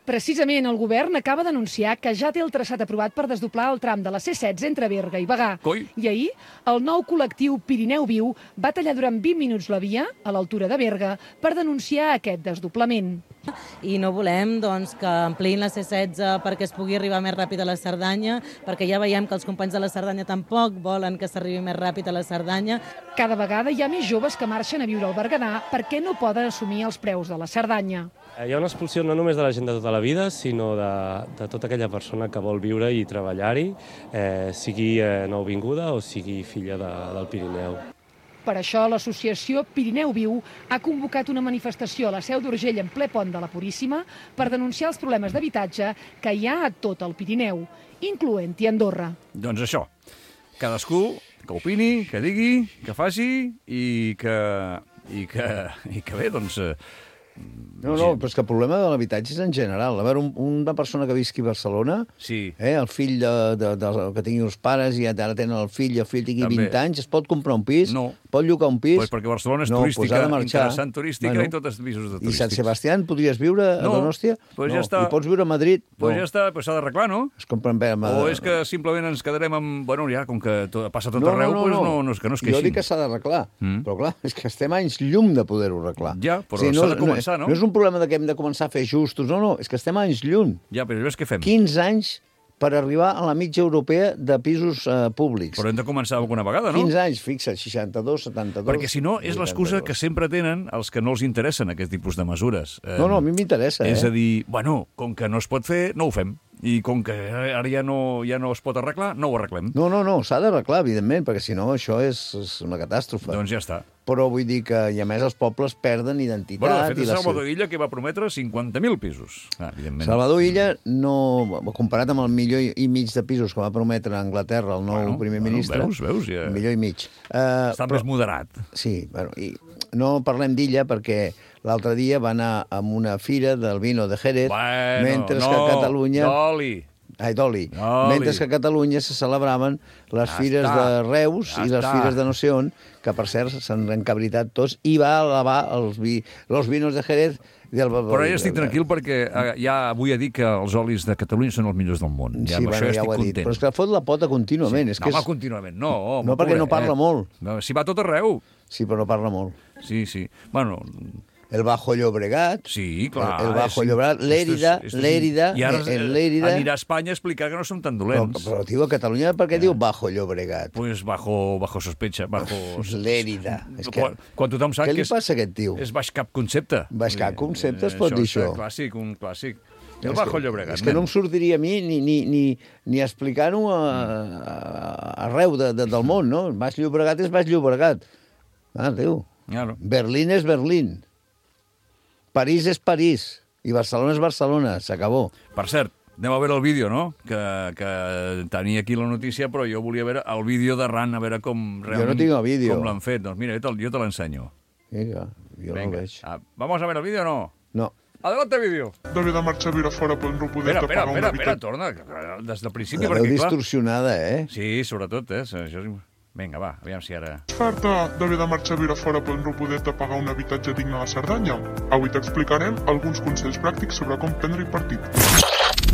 Precisament el govern acaba d'anunciar que ja té el traçat aprovat per desdoblar el tram de la C setze entre Berga i Bagà. Coi. I ahir el nou col·lectiu Pirineu Viu va tallar durant vint minuts la via, a l'altura de Berga, per denunciar aquest desdoblament. I no volem doncs, que ampliïn la C setze perquè es pugui arribar més ràpid a la Cerdanya, perquè ja veiem que els companys de la Cerdanya tampoc volen que s'arribi més ràpid a la Cerdanya. Cada vegada hi ha més joves que marxen a viure al Berguedà perquè no poden assumir els preus de la Cerdanya. Hi ha una expulsió no només de la gent de tota la vida, sinó de, de tota aquella persona que vol viure i treballar-hi, eh, sigui eh, nouvinguda o sigui filla de, del Pirineu. Per això l'associació Pirineu Viu ha convocat una manifestació a la Seu d'Urgell en ple pont de la Puríssima per denunciar els problemes d'habitatge que hi ha a tot el Pirineu, incloent-hi Andorra. Doncs això, cadascú que opini, que digui, que faci i que, i que, i que bé, doncs... Eh, No, no, però és que el problema de l'habitatge és en general. A veure, un, una persona que visqui a Barcelona, sí. eh, el fill de, de, de, que tingui els pares i ara tenen el fill i el fill tingui També. vint anys, es pot comprar un pis? No. Pot llogar un pis? Pues perquè Barcelona és no, turística, pues ha de marxar. interessant turística Bueno. i tots els pisos de I turístics. Sant Sebastián podries viure a No, Donòstia? pues no. ja està. I pots viure a Madrid? Pues no. ja està, pues s'ha d'arreglar, no? Es compren bé amb... O és que simplement ens quedarem amb... Bueno, ja, com que to, passa tot no, arreu, no, no, pues no. no, no, és que no es Jo queixin. dic que s'ha d'arreglar, Mm. però clar, és que estem anys llum de poder-ho arreglar. Ja, però O sigui, s'ha de començar, no? No és un problema de que hem de començar a fer ajustos, no, no, és que estem anys llum. Ja, però llavors què fem? quinze anys per arribar a la mitja europea de pisos eh, públics. Però hem de començar alguna vegada, no? quinze anys, fixa't, seixanta-dos, setanta-dos... Perquè si no, és l'excusa que sempre tenen els que no els interessen aquest tipus de mesures. No, no, a mi m'interessa, eh? És a dir, bueno, com que no es pot fer, no ho fem. i com que ara ja no, ja no es pot arreglar, no ho arreglem. No, no, no, s'ha d'arreglar, evidentment, perquè si no això és, és una catàstrofe. Doncs ja està. Però vull dir que, i a més, els pobles perden identitat. Bueno, de fet, i la... Salvador Illa, que va prometre cinquanta mil pisos. Ah, evidentment. Salvador Illa, no, comparat amb el milió i mig de pisos que va prometre a Anglaterra el nou bueno, primer bueno, ministre... Veus, veus, ja... Un milió i mig. Uh, Està però... més moderat. Sí, bueno, i no parlem d'Illa perquè l'altre dia va anar a una fira del vino de Jerez, bueno, mentre no, que a Catalunya... D'oli. Ai, d'oli. D'oli. Mentre que a Catalunya se celebraven les Ja fires està. de Reus Ja i les està. fires de no sé on, que per cert s'han encabritat tots, i va alabar els, vi, els vinos de Jerez del... Però ja estic tranquil perquè eh, ja vull dir que els olis de Catalunya són els millors del món. Ja, Sí, amb bueno, això ja ja estic ho ha dit. content. Però és que fot la pota contínuament. Sí. És No, que home, és... contínuament, no. Home, No, perquè no pobret, parla eh? molt. No, si va a tot arreu. Sí, però no parla molt. Sí, sí. Bueno... El Bajo Llobregat. Sí, clar. El, el Bajo és- Llobregat, l'Èrida, esto és- esto és- l'Èrida, I ara en l'Èrida... anirà a Espanya a explicar que no som tan Però, dolents. però, tio, a Catalunya per què diu Bajo Llobregat? Pues bajo, bajo sospecha, bajo... L'Èrida. És que... Quan, quan tothom sap Què que li és, passa a aquest tio? és baix cap concepte. Baix cap concepte es Eh, pot dir és això. un clàssic, un clàssic. És El Bajo que- Llobregat. És que no em nen. sortiria a mi ni, ni, ni, ni explicar-ho a, a, arreu de, de, del món, no? Baix Llobregat és Baix Llobregat. Ah, Déu. Claro. Berlín és Berlín. París és París. I Barcelona és Barcelona. S'acabó. Per cert, anem a veure el vídeo, no? Que, que tenia aquí la notícia, però jo volia veure el vídeo de Ran, a veure com realment... Jo no tinc el vídeo. Com l'han fet. Doncs mira, jo te, jo te l'ensenyo. Vinga, jo Venga. no veig. Ah, vamos a ver el vídeo o no? No. Adelante, vídeo. D'haver de marxar a viure fora per no poder Espera, espera, pagar un espera, espera, habitatge. torna, que- que des del principi, La veu perquè clar... distorsionada, eh? Sí, sobretot, eh? Això és... Vinga, va, aviam si ara... Farta d'haver de marxar a viure fora per no poder-te pagar un habitatge digne a la Cerdanya? Avui t'explicarem alguns consells pràctics sobre com prendre-hi partit.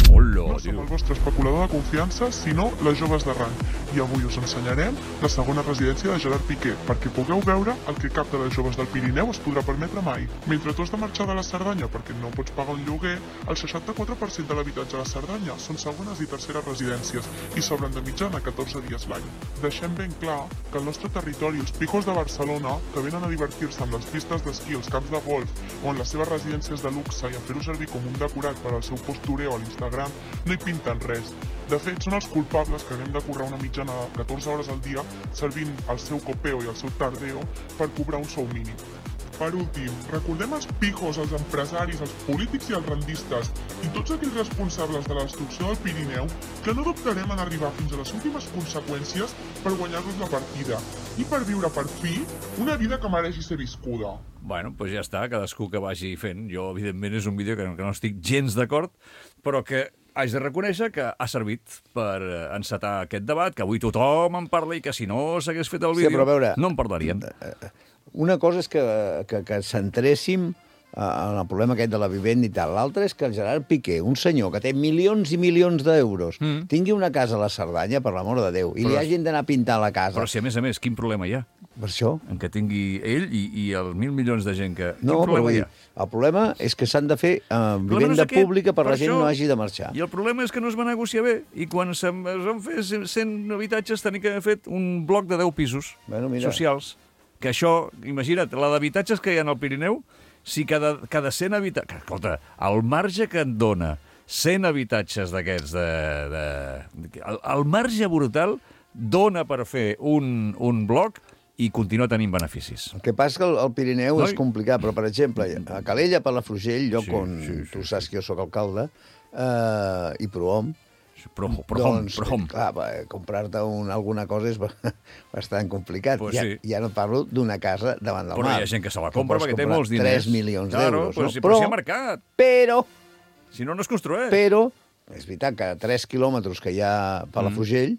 Hola, No som el vostre especulador de confiança, sinó les joves d'arran. I avui us ensenyarem la segona residència de Gerard Piqué, perquè pugueu veure el que cap de les joves del Pirineu es podrà permetre mai. Mentre tu has de marxar de la Cerdanya perquè no pots pagar un lloguer, el seixanta-quatre per cent de l'habitatge a la Cerdanya són segones i terceres residències i s'obren de mitjana catorze dies l'any. Deixem ben clar que al nostre territori els pijos de Barcelona, que venen a divertir-se amb les pistes d'esquí, els camps de golf o en les seves residències de luxe i a fer-ho servir com un decorat per al seu postureo a l'Instagram, no hi pinten res. De fet, són els culpables que haguem de currar una mitjana de catorze hores al dia servint el seu copeo i el seu tardeo per cobrar un sou mínim. Per últim, recordem els pijos, els empresaris, els polítics i els rendistes i tots aquells responsables de la destrucció del Pirineu que no dubtarem en arribar fins a les últimes conseqüències per guanyar-nos la partida i per viure per fi una vida que mereixi ser viscuda. Bueno, doncs ja està, cadascú que vagi fent. Jo, evidentment, és un vídeo que, que no estic gens d'acord, però que haig de reconèixer que ha servit per eh, encetar aquest debat, que avui tothom en parla i que si no s'hagués fet el Sí, vídeo però a veure, no en parlaríem. Una cosa és que, que, que centréssim en el problema aquest de la vivenda i tal. L'altre és que el Gerard Piqué, un senyor que té milions i milions d'euros, mm. tingui una casa a la Cerdanya, per l'amor de Déu, i Però- li hagin d'anar a pintar la casa. Però si, a més a més, quin problema hi ha? Per això? En què tingui ell i, i els mil milions de gent que... No, quin però problema vull hi dir, ha? el problema és que s'han de fer eh, problema no vivenda és aquest, pública per per la gent això. no hagi de marxar. I el problema és que no es va negociar bé. I quan se'n es van fer cent habitatges tenia que haver fet un bloc de deu pisos Bueno, mira. socials. Que això, imagina't, la d'habitatges que hi ha al Pirineu, si cada, cada cent habitatges... Escolta, el marge que et dona cent habitatges d'aquests de... de, de el, el marge brutal dona per fer un, un bloc i continua tenint beneficis. El que passa és que el, el Pirineu No, és i- complicat, però, per exemple, a Calella, Palafrugell, lloc Sí, on sí, sí, tu saps que jo sóc alcalde, eh, i Prohom, Prohom, prohom, doncs, prohom. clar, va, comprar-te un, alguna cosa és ba- bastant complicat. Pues ja, sí. ja no parlo d'una casa davant del Però mar. hi ha gent que se la Que compra pots perquè té comprar molts diners. tres milions Claro, d'euros. però, no? si, però si hi ha mercat. Però, Si no, no es construeix. però, és veritat que a tres quilòmetres que hi ha a Palafrugell,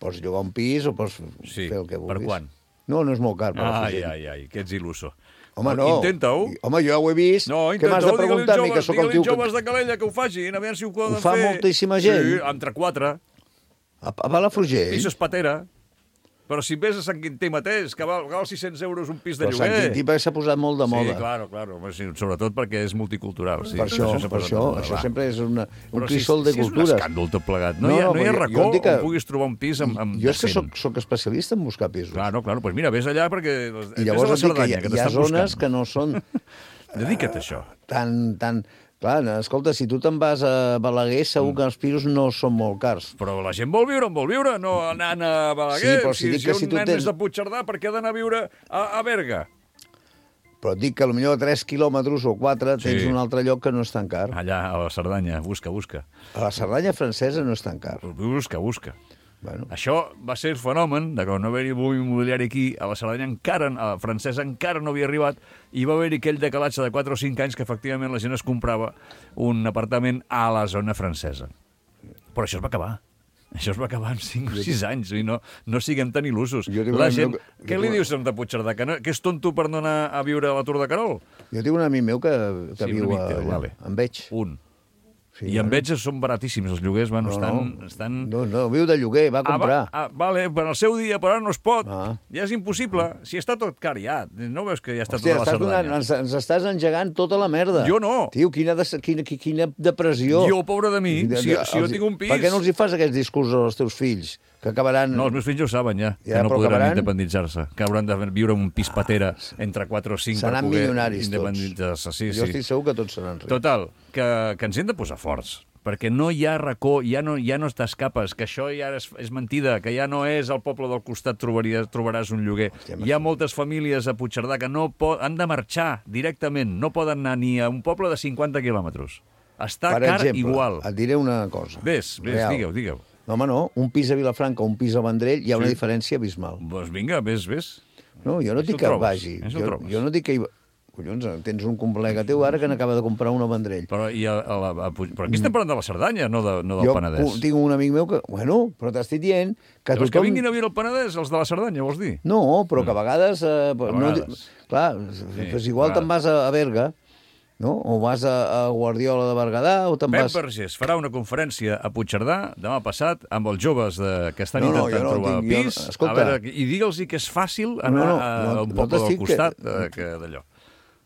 pots llogar un pis o pots Sí, fer el que per vulguis. quan? No, no és molt car, Ai, Palafrugell. ai, ai, que ets il·luso. Home, no. Intenta-ho. Home, jo ja ho he vist. No, Què m'has de intenta-ho, digue-li preguntar a mi, als que joves, sóc el digue-li tio als joves que... de Calella que ho facin, a veure si ho poden Ho fa fer. moltíssima gent. Sí, entre quatre. A, a Palafrugell? Pisos patera. Però si ves a Sant Quintí mateix, que val, val sis-cents euros un pis de Però Sant lloguer. Quintí perquè s'ha posat molt de moda. Sí, claro, claro. Home, sí, sobretot perquè és multicultural. Sí, Per això, s'ha per posat això, de moda, això va. sempre és una, un Però crisol si, de si cultures. és un escàndol tot plegat. No, No, hi ha, no, no hi ha jo- jo racó et dic que- on puguis trobar un pis amb, amb Jo és que decent. soc, soc especialista en buscar pisos. Claro, claro. Pues mira, ves allà perquè... I llavors ves a la et dic que hi, Cerdanya, ha- que hi ha t'estan zones buscant. que no són Dedica't a això. tan, tan, Clar, escolta, si tu te'n vas a Balaguer, segur que els pisos no són molt cars. Però la gent vol viure on vol viure, no anant a Balaguer. Sí, però si si, dic si que un si tu nen tens- és de Puigcerdà, per què ha d'anar a viure a, a Berga? Però et dic que potser a tres quilòmetres o quatre tens Sí. un altre lloc que no és tan car. Allà, a la Cerdanya, busca, busca. A la Cerdanya francesa no és tan car. Busca, busca. Bueno. Això va ser el fenomen de que no haver-hi boom immobiliari aquí, a la Cerdanya encara, a la francesa encara no havia arribat, i va haver-hi aquell decalatge de quatre o cinc anys que efectivament la gent es comprava un apartament a la zona francesa. Però això es va acabar. Això es va acabar en cinc o sis anys, i no, no siguem tan il·lusos. tinc La un gent... amic que- Què jo li tinc- dius a de Puigcerdà? Que, no, que és tonto per no anar a viure a la Tour de Carol? Jo tinc un amic meu que, que Sí, un viu amic a, teu, allà, vale. en veig. Un. Sí, I en bueno. veig són baratíssims, els lloguers, bueno, No, estan... no. estan... No, no, viu de lloguer, va comprar. Ah, va, ah, vale, per al seu dia, però ara no es pot. Ah. Ja és impossible. Si està tot car, ja. No veus que ja està Hòstia, tota la estàs donant, Cerdanya? ens, ens estàs engegant tota la merda. Jo no. Tio, quina, de, quina, quina depressió. Jo, pobre de mi, si- si jo tinc un pis- Per què no els hi fas aquests discursos als teus fills? Que acabaran... No, els meus fills ja ho saben, ja, Ja, que no però podran acabaran- independitzar-se, que hauran de viure en un pis patera entre quatre o cinc Seran per poder milionaris tots. independitzar-se. Sí, jo sí. estic segur que tots seran rics. Total, que, que ens hem de posar forts, perquè no hi ha racó, ja no, ja no t'escapes, que això ja és, és mentida, que ja no és al poble del costat trobaries, trobaràs un lloguer. Hòstia, Hi ha moltes famílies a Puigcerdà que no pot, han de marxar directament, no poden anar ni a un poble de cinquanta quilòmetres. Està Per car exemple, igual. et diré una cosa. Ves, ves, real. digueu, digueu. No, home, no. Un pis a Vilafranca o un pis a Vendrell hi ha una Sí. diferència abismal. Doncs vinga, ves, ves. No, jo no Això dic ho que trobes, vagi. això ho Jo, trobes. jo no dic que hi... Collons, tens un col·lega teu ara que n'acaba de comprar un a Vendrell. Però, i a, a la, a, Puig- però aquí estem parlant de la Cerdanya, no, de, no del jo Penedès. un- tinc un amic meu que... Bueno, però t'estic dient que Els que tothom... vinguin a viure al Penedès, els de la Cerdanya, vols dir? No, però que a vegades... Eh, A no, vegades. clar, doncs igual a te'n vas a, a Berga, no? O vas a, a Guardiola de Berguedà, o te'n Pep vas... Vergés farà una conferència a Puigcerdà demà passat amb els joves de, que estan No, no, intentant jo no trobar tinc- jo no- pis. escolta. A veure, I digue'ls que és fàcil anar No, no, a, no, a un no poble del t'estic que- costat que, que d'allò.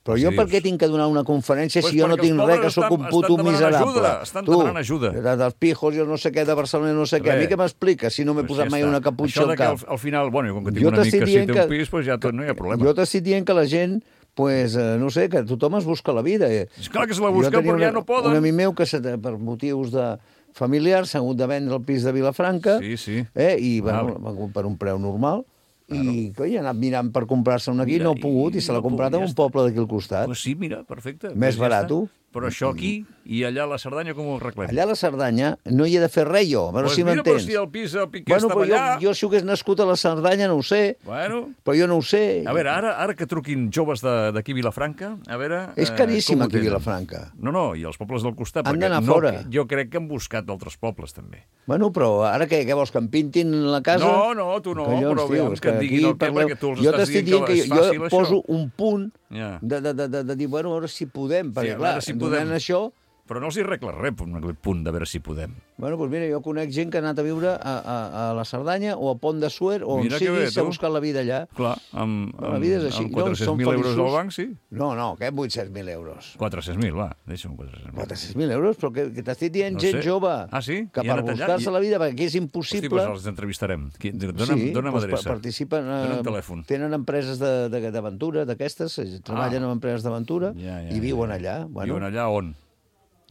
Però Si jo per dius- què tinc que donar una conferència Pues si jo no perquè els tinc pobres res, que sóc estan- un estan puto demanant miserable? ajuda, estan demanant ajuda. De, dels pijos, jo no sé què, de Barcelona, no sé què. A mi Res. què m'expliques si no m'he Pues posat ja mai està. una caputxa Això al de que cap? al, al final, bueno, i com que tinc Jo un amic t'estic que sí dient té que- un pis, pues ja tot, no hi ha problema. Jo t'estic dient que la gent, pues, eh, no sé, que tothom es busca la vida. Eh. És clar que se la Jo busca, tenia però ja una- no poden. Un amic meu que se- per motius de familiars s'ha hagut de vendre el pis de Vilafranca Sí, sí. eh, i Vale. bueno, per un preu normal. I coi, ha anat mirant per comprar-se una aquí, Mira, no ha pogut, i, i se l'ha no ha comprat pogut, en ja un està. poble d'aquí al costat. Pues sí, mira, perfecte. Més Pues ja barat. està. Però això aquí i allà a la Cerdanya com ho arreglem? Allà a la Cerdanya no hi he de fer res jo, a veure Pues si mira, però m'entens. si el pis el Piqué Bueno, estava però jo, allà... jo si hagués nascut a la Cerdanya no ho sé, Bueno, però jo no ho sé. a veure, ara, ara que truquin joves de- d'aquí a Vilafranca, a veure... És eh, caríssim com ho aquí a tenen. Vilafranca. No, no, i els pobles del costat. Han perquè d'anar no, fora. Jo crec que han buscat d'altres pobles, també. Bueno, però ara què, què vols, que em pintin la casa? No, no, tu no, però aviam, és que et aquí diguin el què, parleu- perquè tu els jo estàs t'estic dient que que és jo, fàcil, jo això. poso un punt Ja. de, de, de, de, de dir, bueno, a veure si podem, perquè a clar, veure si donant podem. això... Però no els hi arregla res, un punt de veure si podem. Bueno, doncs mira, jo conec gent que ha anat a viure a, a, a la Cerdanya o a Pont de Suert o on Mira que sigui, bé, s'ha tu. buscat la vida allà. Clar, amb, La vida és així. amb No, quatre-cents són mil euros feliços. al banc, sí. No, no, què vuit-cents mil euros? quatre-cents mil, va, deixa'm quatre-cents mil. quatre-cents mil euros? Però que, que t'estic dient No gent sé. jove. Ah, sí? Que I han per anat allà? buscar-se I- la vida, perquè aquí és Hosti, impossible... doncs els entrevistarem. Qui- Dona'm, sí, dona'm doncs adreça. pa- participen... eh, Dona'm telèfon. Tenen empreses de- de- d'aventura, d'aquestes, eh, treballen Ah. en empreses d'aventura Ja, ja, i viuen ja. allà. Bueno, Viuen allà on?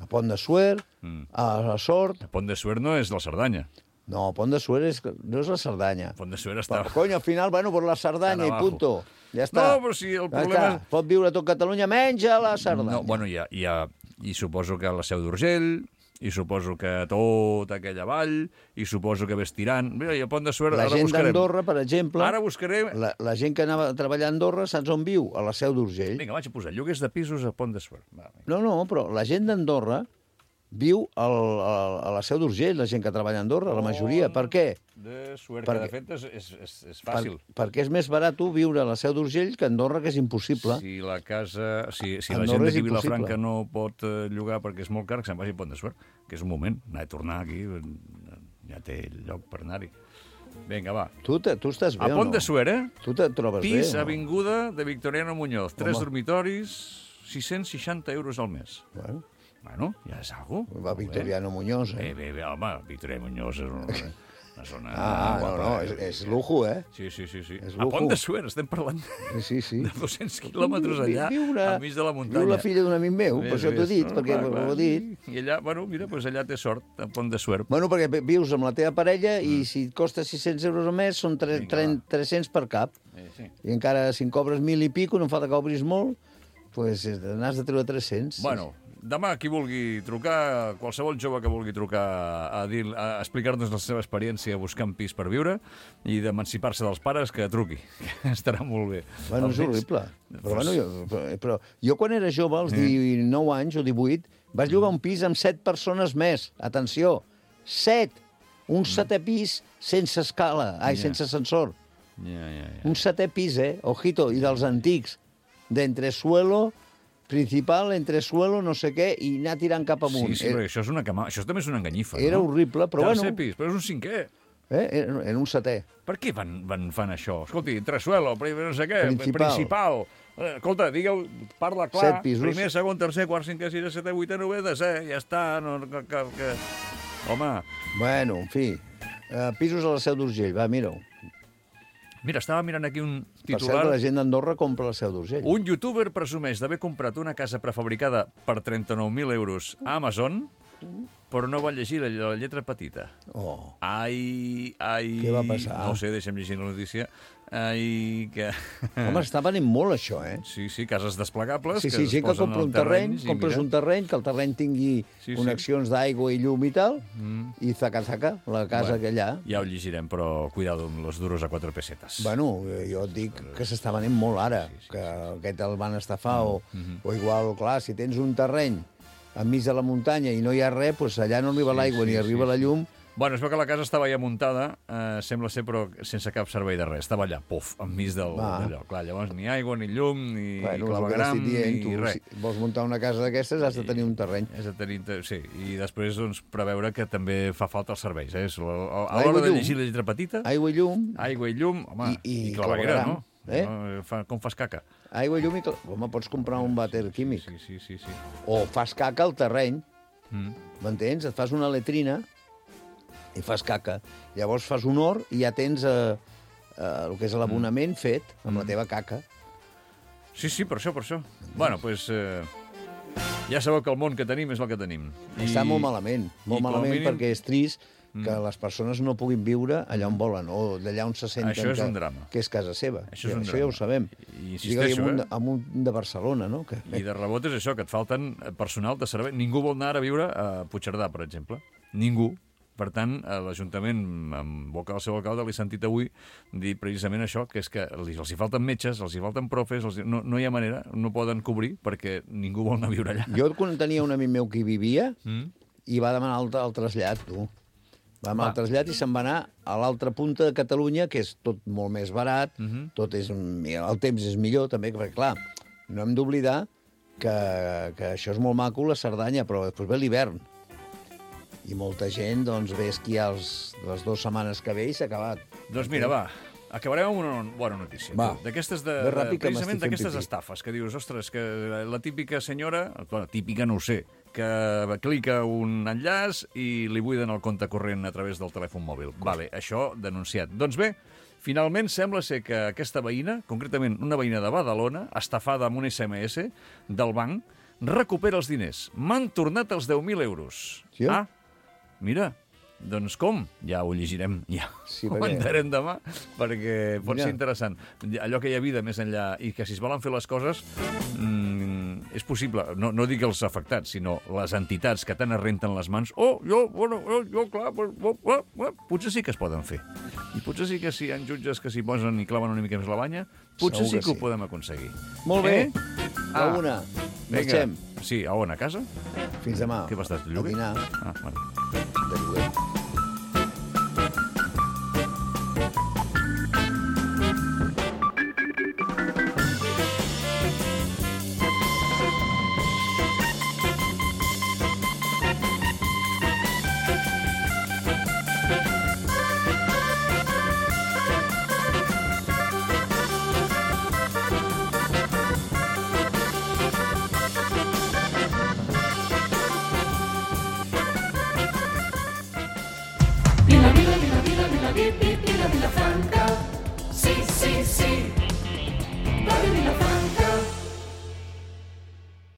a Pont de Suert, Mm. a la Sort... A Pont de Suert no és la Cerdanya. No, Pont de Suert és, no és la Cerdanya. Pont de Suert està... Però, cony, al final, bueno, per la Cerdanya Estan i abajo. punto. Ja està. No, però si el Ja problema està. Pot viure a tot Catalunya menys a la Cerdanya. No, bueno, hi ha, hi ha, i suposo que a la Seu d'Urgell, i suposo que a tota aquella vall, i suposo que ves tirant... Mira, i a Pont de Suert, La ara gent buscarem. d'Andorra, per exemple... Ara buscarem... La, la gent que anava a treballar a Andorra, saps on viu? A la Seu d'Urgell. Vinga, vaig a posar lloguers de pisos a Pont de Suert. Va, vinga. No, no, però la gent d'Andorra viu al, al, a la Seu d'Urgell, la gent que treballa a Andorra, la majoria. Per què? De Suert, Perquè- que de fet és, és, és, és Per, fàcil. perquè és més barat tu viure a la Seu d'Urgell que a Andorra, que és impossible. Si la casa... Si, si la Andorra gent és d'aquí a Vilafranca impossible. no pot eh, llogar perquè és molt car, que se'n vagi a Pont de Suert, que és un moment, anar a tornar aquí, eh, ja té lloc per anar-hi. Vinga, va. Tu, te, tu estàs bé A o Pont no? de Suert, eh? Tu te trobes Pis, bé o no? avinguda de Victoriano Muñoz, tres Home. dormitoris, sis-cents seixanta euros al mes. Bueno, Bueno, ja és algo. va Victoriano Muñoz, eh? Bé, bé, bé, home, Victoriano Muñoz és un... Una zona Ah, no, guapa, no, eh? és, és lujo, eh? Sí, sí, sí. sí. És A lujo. Pont de Suert, estem parlant Sí, sí. de dos-cents quilòmetres allà, Viure- enmig de la muntanya. Viu la filla d'un amic meu, per Ves, això t'ho he ves, dit, no? perquè Clar, ho clar. he dit. I allà, bueno, mira, doncs allà té sort, a Pont de Suert. Bueno, perquè vius amb la teva parella Mm. i si et costa sis-cents euros al mes són tre- tre- tres-cents per cap. Eh, sí. I encara si en cobres mil i pico, no em falta que obris molt, doncs n'has de treure tres-cents. Bueno, demà qui vulgui trucar, qualsevol jove que vulgui trucar a, dir, a explicar-nos la seva experiència buscant pis per viure i d'emancipar-se dels pares, que truqui, que estarà molt bé. Bueno, és Almenys- horrible. Però, Pues- bueno, jo, però, però jo quan era jove, als Eh. dinou anys o divuit, vaig llogar un pis amb set persones més. Atenció, set! Un setè pis sense escala, ai, Ja. sense ascensor. Ja, ja, ja. Un setè pis, eh? Ojito, i dels antics. D'entresuelo, principal, entresuelo, no sé què, i anar tirant cap amunt. Sí, sí, però això, és una cama... això també és una enganyifa, Era no? horrible, però Tercer bueno. pis, però és un cinquè. Eh? Era, era un setè. Per què van, van fan això? Escolti, entresuelo, primer no sé què, Principal. principal. Eh, Escolta, digueu, parla clar. Set pisos. Primer, segon, tercer, quart, cinquè, sisè, setè, vuitè, novè, desè, ja està. No, que, que, que... Home, Bueno, en fi, uh, pisos a la Seu d'Urgell, va, mira-ho. mira, estava mirant aquí un Per cert, titular. la gent d'Andorra compra la Seu d'Urgell. Un youtuber presumeix d'haver comprat una casa prefabricada per trenta-nou mil euros a Amazon, però no va llegir la, la lletra petita. Oh. Ai, ai... Què va passar? No ho sé, deixa'm llegir la notícia. Ai, que... Home, està venint molt això, eh? Sí, sí, cases desplegables. Sí, que sí, es gent que posen compra al un terreny, i compres mira. un terreny, que el terreny tingui Sí, sí. connexions d'aigua i llum i tal, Mm. i zaca-zaca, la casa Bueno, que allà. Ja ho llegirem, però cuidado amb los duros a quatre pessetes. Bueno, eh, jo et dic que s'està venent molt ara, que aquest el van estafar, o, Mm-hmm. o igual, clar, si tens un terreny enmig de la muntanya i no hi ha res, doncs allà no arriba l'aigua ni arriba la llum. Bueno, es veu que la casa estava ja muntada, eh, sembla ser, però sense cap servei de res. Estava allà, puf, enmig del, Va. d'allò. Clar, llavors ni aigua, ni llum, ni Bueno, és el que clavegram, t'estic dient, ni tu, res. si vols muntar una casa d'aquestes has de tenir un terreny. És de tenir, sí, i després doncs, preveure que també fa falta els serveis. Eh? A a Aigua l'hora i de llum. llegir la lletra petita, Aigua i llum, aigua i llum, home, I- i i claveguera, clavegueram, no? eh? no fa, com fas caca? aigua i llum i... cla- Home, pots comprar un vàter químic. Sí, sí, sí, sí. O fas caca al terreny, Mm. m'entens? Et fas una letrina i fas caca. Llavors fas un hort i ja tens eh, eh, el que és l'abonament fet amb la teva caca. Sí, sí, per això, per això. Bueno, doncs... Pues, eh, ja sabeu que el món que tenim és el que tenim. I... Està molt malament, molt i com a malament mínim- perquè és trist que Mm. les persones no puguin viure allà on volen o d'allà on se senten Això és que, un drama. que és casa seva. Això és un això ja ho drama. sabem. I Digue-li insisteixo, amunt, eh? amunt de Barcelona, no? Que... I de rebot és això, que et falten personal de servei. Ningú vol anar a viure a Puigcerdà, per exemple. Ningú. Per tant, a l'Ajuntament, en boca del seu alcalde, l'he sentit avui dir precisament això, que és que els, els hi falten metges, els hi falten profes, els hi... No, no hi ha manera, no poden cobrir perquè ningú vol anar a viure allà. Jo quan tenia un amic meu que hi vivia Mm? i va demanar el, el trasllat, tu. Va demanar Va. el trasllat i se'n va anar a l'altra punta de Catalunya, que és tot molt més barat, Mhm. tot és, el temps és millor també, perquè clar, no hem d'oblidar que, que això és molt maco, la Cerdanya, però després ve l'hivern. I molta gent doncs, ve a esquiar els, les dues setmanes que ve i s'ha acabat. Doncs mira, va, acabarem amb una bona notícia. Va. tu. D'aquestes de, Ve de, ràpid, que precisament m'estic fent d'aquestes pipí. estafes, que dius, ostres, que la típica senyora, bueno, típica no ho sé, que clica un enllaç i li buiden el compte corrent a través del telèfon mòbil. Vale, això denunciat. Doncs bé, finalment sembla ser que aquesta veïna, concretament una veïna de Badalona, estafada amb un S M S del banc, recupera els diners. M'han tornat els deu mil euros. Sí? Ah, mira, doncs com? Ja ho llegirem, ja Sí, ho perquè- entrarem demà, perquè pot Mira. ser interessant. Allò que hi ha vida més enllà i que si es volen fer les coses mm, és possible. No, no dic els afectats, sinó les entitats que tant es renten les mans. Oh, jo, bueno, jo, jo clar, pues, oh, oh, oh, potser sí que es poden fer. I potser sí que si hi ha jutges que s'hi posen i claven una mica més la banya, potser Segur sí que que ho sí. podem aconseguir. Molt bé, Eh? a Ah, una. Vinga. Marxem. Sí, a on? A casa? Fins demà. Què vas estar, de A lloguer? dinar. Ah, bueno. De lloguer. pi, pi, la Vilafranca. Sí, sí, sí. Radio Vilafranca.